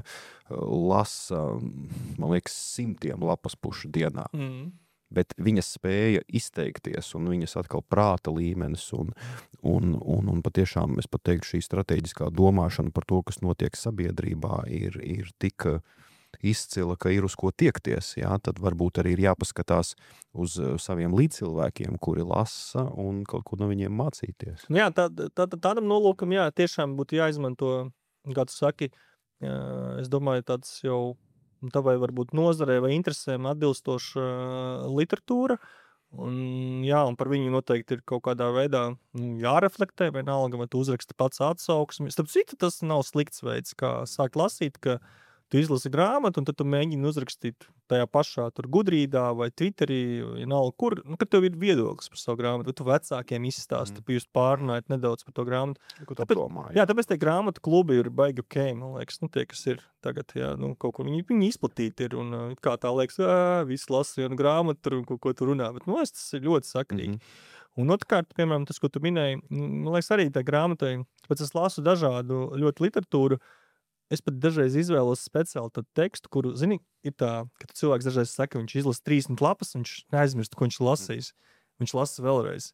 lasa, man liekas, simtiem lapas pušu dienā. Mm. Bet viņa spēja izteikties, un viņas atkal prāta līmenis, un, un, un, un patiešām, es pat teiktu, šī strateģiskā domāšana par to, kas notiek sabiedrībā, ir, ir tik izcila, ka ir uz ko tiekties, jā, tad varbūt arī ir jāpaskatās uz saviem līdzcilvēkiem, kuri lasa un kaut ko no viņiem mācīties. Nu jā, tā, tā, tādam nolūkam, jā, tiešām būtu jāizmanto, kā tu saki, jā, es domāju, tāds jau tavai varbūt nozarē vai interesēm atbilstoša literatūra, un jā, un par viņu noteikti ir kaut kādā veidā jāreflektē, vienalga, vai tu uzraksti pats atsauksmi. Starp citu, tas nav slikts veids, kā sākt lasīt, ka tu izlasi grāmatu, un tad tu mēģini uzrakstīt tajā pašā tur gudrīdā vai Twitterī, vienalga kur, nu, kad tev ir viedoklis par savu grāmatu, vai tu vecākiem izstāsti, mm. jūs pārunājat nedaudz par to grāmatu. Ko tāpēc, domāju? Jā, tāpēc tie grāmatu klubi ir baigi ok, man liekas, nu, tie, kas ir tagad, jā, nu, kaut ko viņi, viņi izplatīti ir, un kā tā liekas, ā, visi lasa vienu grāmatu, tur, un ko, ko tu runā, bet, nu, es tas ir ļoti sakrīgi. Mm-hmm. Un otrkārt, piemēram, tas, ko tu minēji, man liekas, arī tā grāmatai, pēc es lasu dažādu ļoti literatūru, es pat dažreiz izvēlos speciāli tādu tekstu, kuru, zini, ir tā, ka cilvēks dažreiz saka, viņš izlasa trīsdesmit lapas, viņš neaizmirst, ko viņš lasīs. Viņš lasa vēlreiz.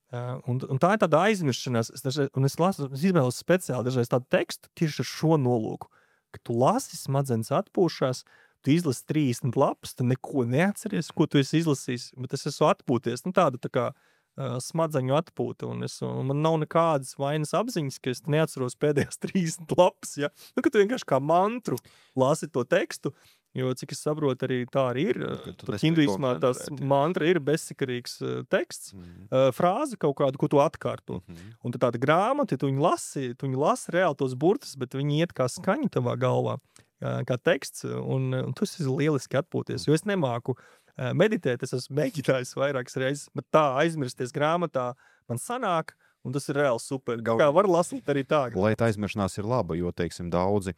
Uh, un, un tā ir tāda aizmiršanās. Es dažreiz, un es, lasu, es izvēlos speciāli dažreiz tādu tekstu tieši ar šo nolūku. Ka tu lasi, smadzenes atpūšās, tu izlasi trīsdesmit lapas, tu neko neatceries, ko tu esi izlasījis, bet es esmu atpūties. Nu, tāda tā kā smadzeņu atpūta, un, es, un man nav nekādas vainas apziņas, ka es neatceros pēdējās trīsdesmit lapas, ja? Nu, ka tu vienkārši kā mantru lasi to tekstu, jo, cik es saprotu, arī tā arī ir. Tur hinduismā tās mantra ir bezsakarīgs uh, teksts, mm. uh, frāze kaut kādu, ko tu atkārto. Mm-hmm. Un tad tāda grāmata, ja tu viņu lasi, tu viņu lasi reāli tos burtus, bet viņi iet kā skaņa tavā galvā, uh, kā teksts, un, un tu esi lieliski atpūties, jo es nemāku meditēt, es esmu mēģinājis vairākas reizes, bet tā aizmirsties grāmatā man sanāk, un tas ir reāli super. Gal... Kā var lasīt arī tā. Lai tā aizmiršanās ir laba, jo, teiksim, daudzi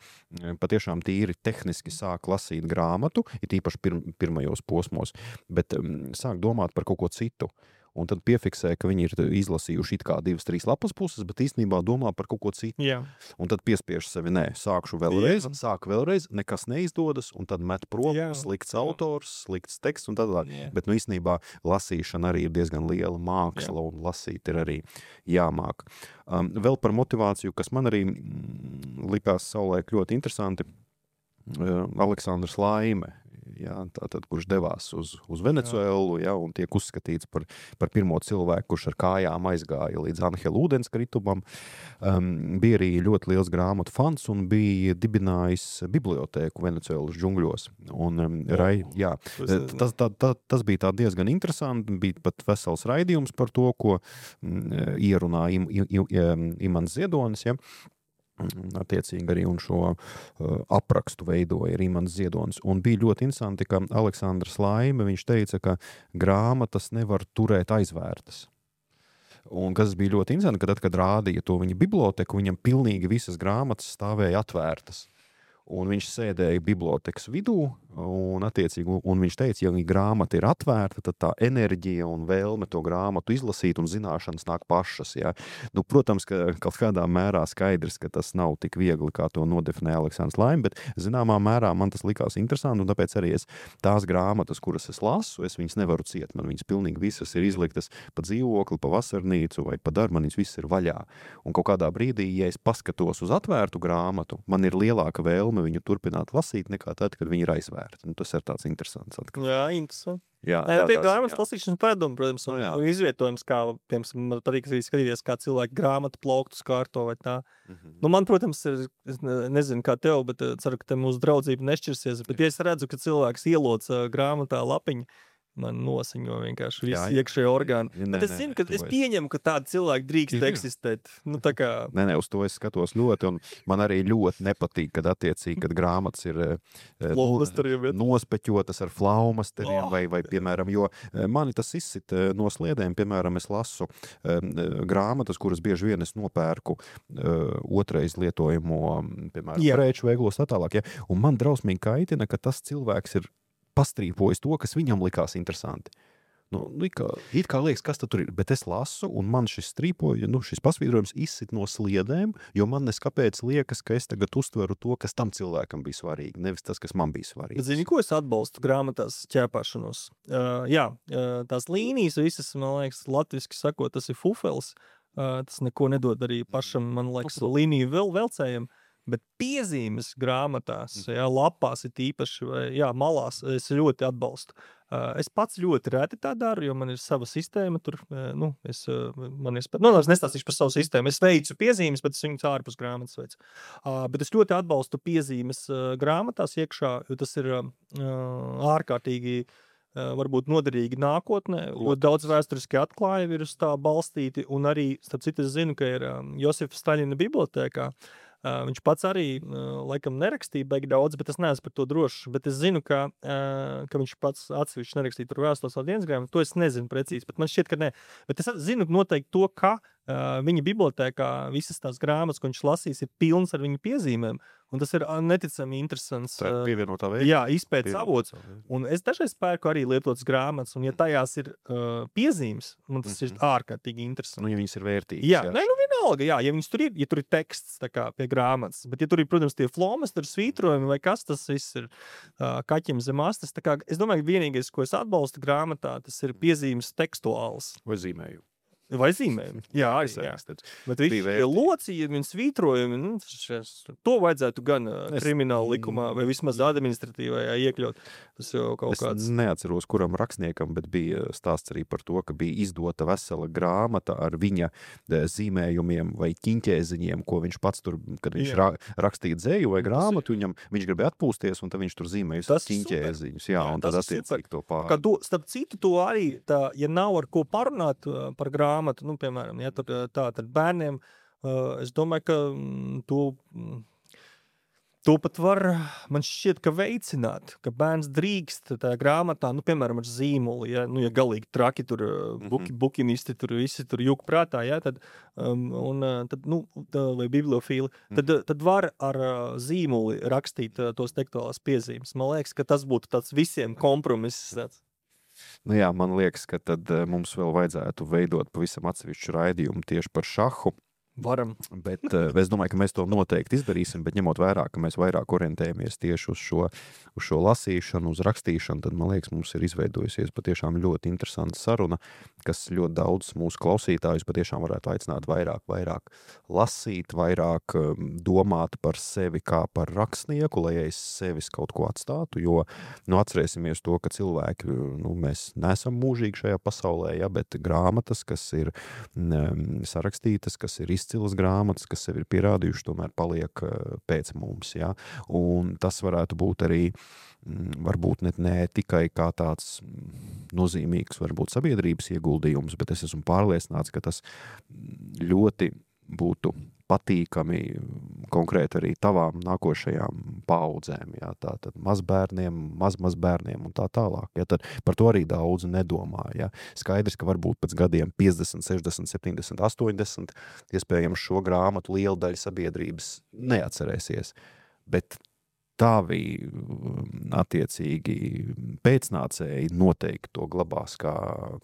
patiešām tīri tehniski sāk lasīt grāmatu, it īpaši pir pirmajos posmos, bet um, sāk domāt par kaut ko citu. Un tad piefiksē, ka viņi ir izlasījuši it kā divas, trīs lapas puses, bet īstenībā domā par kaut ko citu. Jā. Un tad piespiež sevi, nē, sākšu vēlreiz, Jā. sāku vēlreiz, nekas neizdodas, un tad met prom, Jā. slikts autors, slikts teksts un tad tā. Bet, nu, īstenībā lasīšana arī ir diezgan liela māksla, Jā. un lasīt ir arī jāmāk. Um, vēl par motivāciju, kas man arī likās savulaik ļoti interesanti, uh, Aleksandrs Laime jā, tātad, kurš devās uz, uz Venecuēlu, jā, un tiek uzskatīts par, par pirmo cilvēku, kurš ar kājām aizgāja līdz Anhela ūdenskritumam. Um, bija arī ļoti liels grāmatu fans un bija dibinājis bibliotēku Venecuēlas džungļos. Un, um, rai, jā, tas, tā, tā, tas bija tā diezgan interesanti, bija pat vesels raidījums par to, ko um, ierunā im, im, im, Imants Ziedonis, ja. Attiecīgi arī un šo uh, aprakstu veidoja Imants Ziedonis. Un bija ļoti interesanti, ka Aleksandrs Laime, viņš teica, ka grāmatas nevar turēt aizvērtas. Un kas bija ļoti interesanti, ka tad, kad rādīja to viņa biblioteku, viņam pilnīgi visas grāmatas stāvēja atvērtas. Un viņš sēdēja bibliotekas vidū, un, attiecīgi, un viņš teica, ja grāmata ir atvērta, tad tā enerģija un vēlme to grāmatu izlasīt un zināšanas nāk pašas. Ja. Nu, protams, ka kaut kādā mērā skaidrs, ka tas nav tik viegli, kā to nodefinē Aleksandrs Laime, bet zināmā mērā man tas likās interesanti, un tāpēc arī es tās grāmatas, kuras es lasu, es viņas nevaru ciet. Man viņas pilnīgi visas ir izliktas pa dzīvokli, pa vasarnīcu vai pa darbu, man viņas visas ir vaļā. Un kaut kādā brīdī, ja es paskatos uz atvērtu grāmatu, man ir lielāka vēlme viņu turpināt lasīt nekā tad, kad viņi ir aizvērti. Nu, tas ir tāds interesants atkal. Jā, interesanti. Jā, jā, tā ir grāmatas lasīšanas padomu, protams, un, no, un izvietojums, kā, piemēram, man patīk skatīties, kā cilvēki grāmatu plauktus kārto vai tā. Mm-hmm. Nu, man, protams, ir, es nezinu, kā tev, bet ceru, ka te mūsu draudzība nešķirsies, bet ja es redzu, ka cilvēks ieloc grāmatā lapiņu, man nosiņo vienkārši visi iekšējo orgānu. Ne, bet es zinu, ka es pieņemu, ka tādi cilvēki drīkst ir, eksistēt. Nu, tā kā... Nē, nē, uz to es skatos ļoti, un man arī ļoti nepatīk, kad attiecīgi, kad grāmatas ir nu, nospeķotas ar flaumasteriem, oh, vai, vai, piemēram, jo mani tas izsit no sliedēm, piemēram, es lasu grāmatas, kuras bieži vien es nopērku otrais lietojamo, piemēram, yeah. preču veiklos tā tālāk, ja? Un man drausmīgi kaitina, ka tas cilvēks ir pastrīpojis to, kas viņam likās interesanti. Nu, it kā, it kā liekas, kas tad tur ir, bet es lasu, un man šis strīpoja, nu, šis pasvītrojums izsit no sliedēm, jo man neskapēc liekas, ka es tagad uztveru to, kas tam cilvēkam bija svarīgi, nevis tas, kas man bija svarīgi. Zini, ko es atbalstu grāmatās ķēpāšanos? Uh, jā, uh, tās līnijas visas, man liekas, latviski sakot, tas ir fufels, uh, tas neko nedod arī pašam, man liekas, līniju vēl velcējiem. Bet piezīmes grāmatās, jā, lapās ir īpaši, vai, jā, malās, es ļoti atbalstu. Es pats ļoti reti tā daru, jo man ir sava sistēma tur, nu, es, man ir, nu, es nestāstīšu par savu sistēmu, es veicu piezīmes, bet es viņus ārpus grāmatas veicu. Bet es ļoti atbalstu piezīmes grāmatās iekšā, jo tas ir ārkārtīgi varbūt noderīgi nākotnē, ļoti daudz vēsturiski atklājumi ir uz tā balstīti, un arī, starp citu, es zinu, ka ir Josifa Staļina bibliotēkā. Uh, viņš pats arī, uh, laikam, nerakstīja baigi daudz, bet es neesmu par to drošs. Bet es zinu, ka, uh, ka viņš pats atsevišķi nerakstīja par vēstules vēl dienas grāmatu. To es nezinu precīzi, bet man šķiet, ka ne. Bet es zinu noteikti to, ka uh, viņa bibliotēkā visas tās grāmatas, ko viņš lasīs, ir pilns ar viņa piezīmēm. Un tas ir neticami interesants. Tā ir pievienotā veidā. Jā, izpētes avots. Un es dažreiz pērku arī lietotas grāmatas, un ja tajās ir uh, piezīmes, man tas mm-hmm. ir ārkārtīgi interesanti. Nu, ja viņas ir vērtīgas. Jā, jā. Ne, nu vienalga, jā, ja viņas tur ir, ja tur ir teksts tā kā pie grāmatas, bet ja tur ir, protams, tie flomasteri, svītrojumi vai kas, tas viss ir uh, kaķim zem astes. Tā kā, es domāju, vienīgais, ko es atbalstu grāmatā, tas ir piezīmes tekstuāls. Vai zīmēju. Vai zīmējumi. Jā, arī, jā. Bet visi locījumi un svītrojumi, nu, šes, to vajadzētu gan es, krimināla likumā vai vismaz administratīvajā iekļaut. Tas jau kaut es kāds... Es neatceros, kuram rakstniekam, bet bija stāsts arī par to, ka bija izdota vesela grāmata ar viņa zīmējumiem vai ķiņķēziņiem, ko viņš pats tur, kad viņš ra, rakstīja dzēju vai grāmatu, viņam, viņš gribēja atpūsties, un tad viņš tur zīmēja ķiņķēziņus. Jā, un tad attiecīgi to pār. To, starp citu, to arī, tā, ja nav ar ko parunāt par grāmatu, nu, piemēram, ja, tur, tā, tad bērniem, uh, es domāju, ka mm, to, mm, to pat var, man šķiet, ka veicināt, ka bērns drīkst tā grāmatā, nu, piemēram, ar zīmoli, ja, nu, ja galīgi traki tur, buki, bukinisti tur, visi tur juk prātā, ja, tad, um, un, tad, nu, tā, vai bibliofīli, tad, tad var ar zīmoli rakstīt tos tekstuālās piezīmes. Man liekas, ka tas būtu tāds visiem kompromiss, tāds. Nu jā, man liekas, ka tad mums vēl vajadzētu veidot pavisam atsevišķu raidījumu tieši par šahu. Varam. Bet uh, es domāju, ka mēs to noteikti izdarīsim, bet ņemot vērā, ka mēs vairāk orientējamies tieši uz šo, uz šo lasīšanu, uz rakstīšanu, tad, man liekas, mums ir izveidojusies patiešām ļoti interesanta saruna, kas ļoti daudz mūsu klausītājus patiešām varētu aicināt vairāk, vairāk lasīt, vairāk domāt par sevi kā par rakstnieku, lai aiz sevis kaut ko atstātu, jo, nu, atcerēsimies to, ka cilvēki, nu, mēs neesam mūžīgi šajā pasaulē, ja, bet grāmatas, kas ir um, sarakstītas, kas ir izcilas grāmatas, kas sevi ir pierādījuši, tomēr paliek uh, pēc mums, ja, un tas varētu būt arī varbūt ne, ne tikai kā tāds nozīmīgs, varbūt sabiedrības ieguldījums, bet es esmu pārliecināts, ka tas ļoti būtu patīkami konkrēti arī tavām nākošajām paudzēm, jā, tātad mazbērniem, mazmazbērniem un tā tālāk, jā, tad par to arī daudz nedomā, jā. Skaidrs, ka varbūt pēc gadiem piecdesmit, sešdesmit, septiņdesmit, astoņdesmit, iespējams šo grāmatu liela daļa sabiedrības neatcerēsies, bet tavi attiecīgi pēcnācēji noteikti to glabās kā,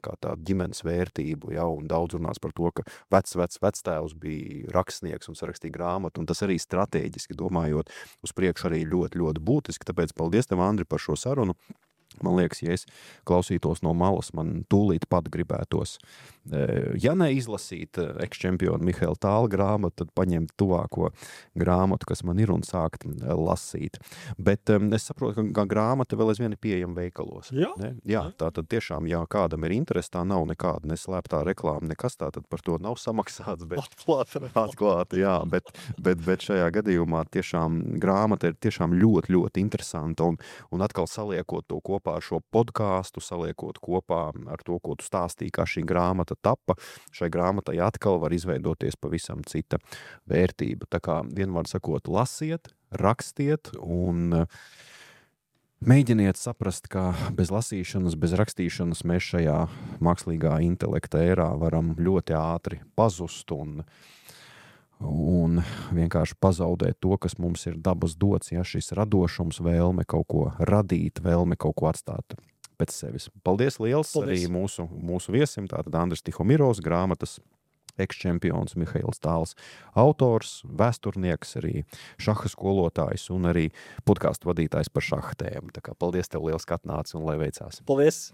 kā tādu ģimenes vērtību, ja, un daudz runās par to, ka vecs, vecs, vectēvs bija rakstnieks un sarakstīja grāmatu, un tas arī strateģiski domājot uz priekšu arī ļoti, ļoti būtiski, tāpēc paldies tev, Andri, par šo sarunu. Man liekas, ja es klausītos no malas, man tūlīt pat gribētos, ja ne izlasīt eks-čempionu Mihaila Tāla grāmatu, tad paņemt tuvāko grāmatu, kas man ir, un sākt lasīt. Bet um, es saprotu, ka grāmata vēl aizvien ir pieejama veikalos. Jā. Ne? Jā, tā tad tiešām, ja kādam ir interesi, tā nav nekāda neslēptā reklāma, nekas tā, tad par to nav samaksāts. Bet, atklāta. Atklāta, jā, bet, bet, bet šajā gadījumā tiešām grāmata ir tiešām ļoti, ļoti interesanta, un, un atkal saliekot to kopā ar šo podkāstu, saliekot kopā ar to, ko tu stāstīji, kā šī grāmata tapa, šai grāmatai atkal var izveidoties pavisam cita vērtība. Tā kā vienmēr sakot, lasiet, rakstiet un mēģiniet saprast, ka bez lasīšanas, bez rakstīšanas mēs šajā mākslīgā intelekta ērā varam ļoti ātri pazust un un vienkārši pazaudēt to, kas mums ir dabas dots, ja šis radošums, vēlme kaut ko radīt, vēlme kaut ko atstāt pēc sevis. Paldies liels Paldies. Arī mūsu, mūsu viesim, tātad Andris Tihomirovs, grāmatas eks-čempions Mihails Tāls, autors, vēsturnieks, arī šaha skolotājs un arī podkāstu vadītājs par šaha tēmu. Tā kā paldies tev liels, ka atnāci un lai veicās. Paldies!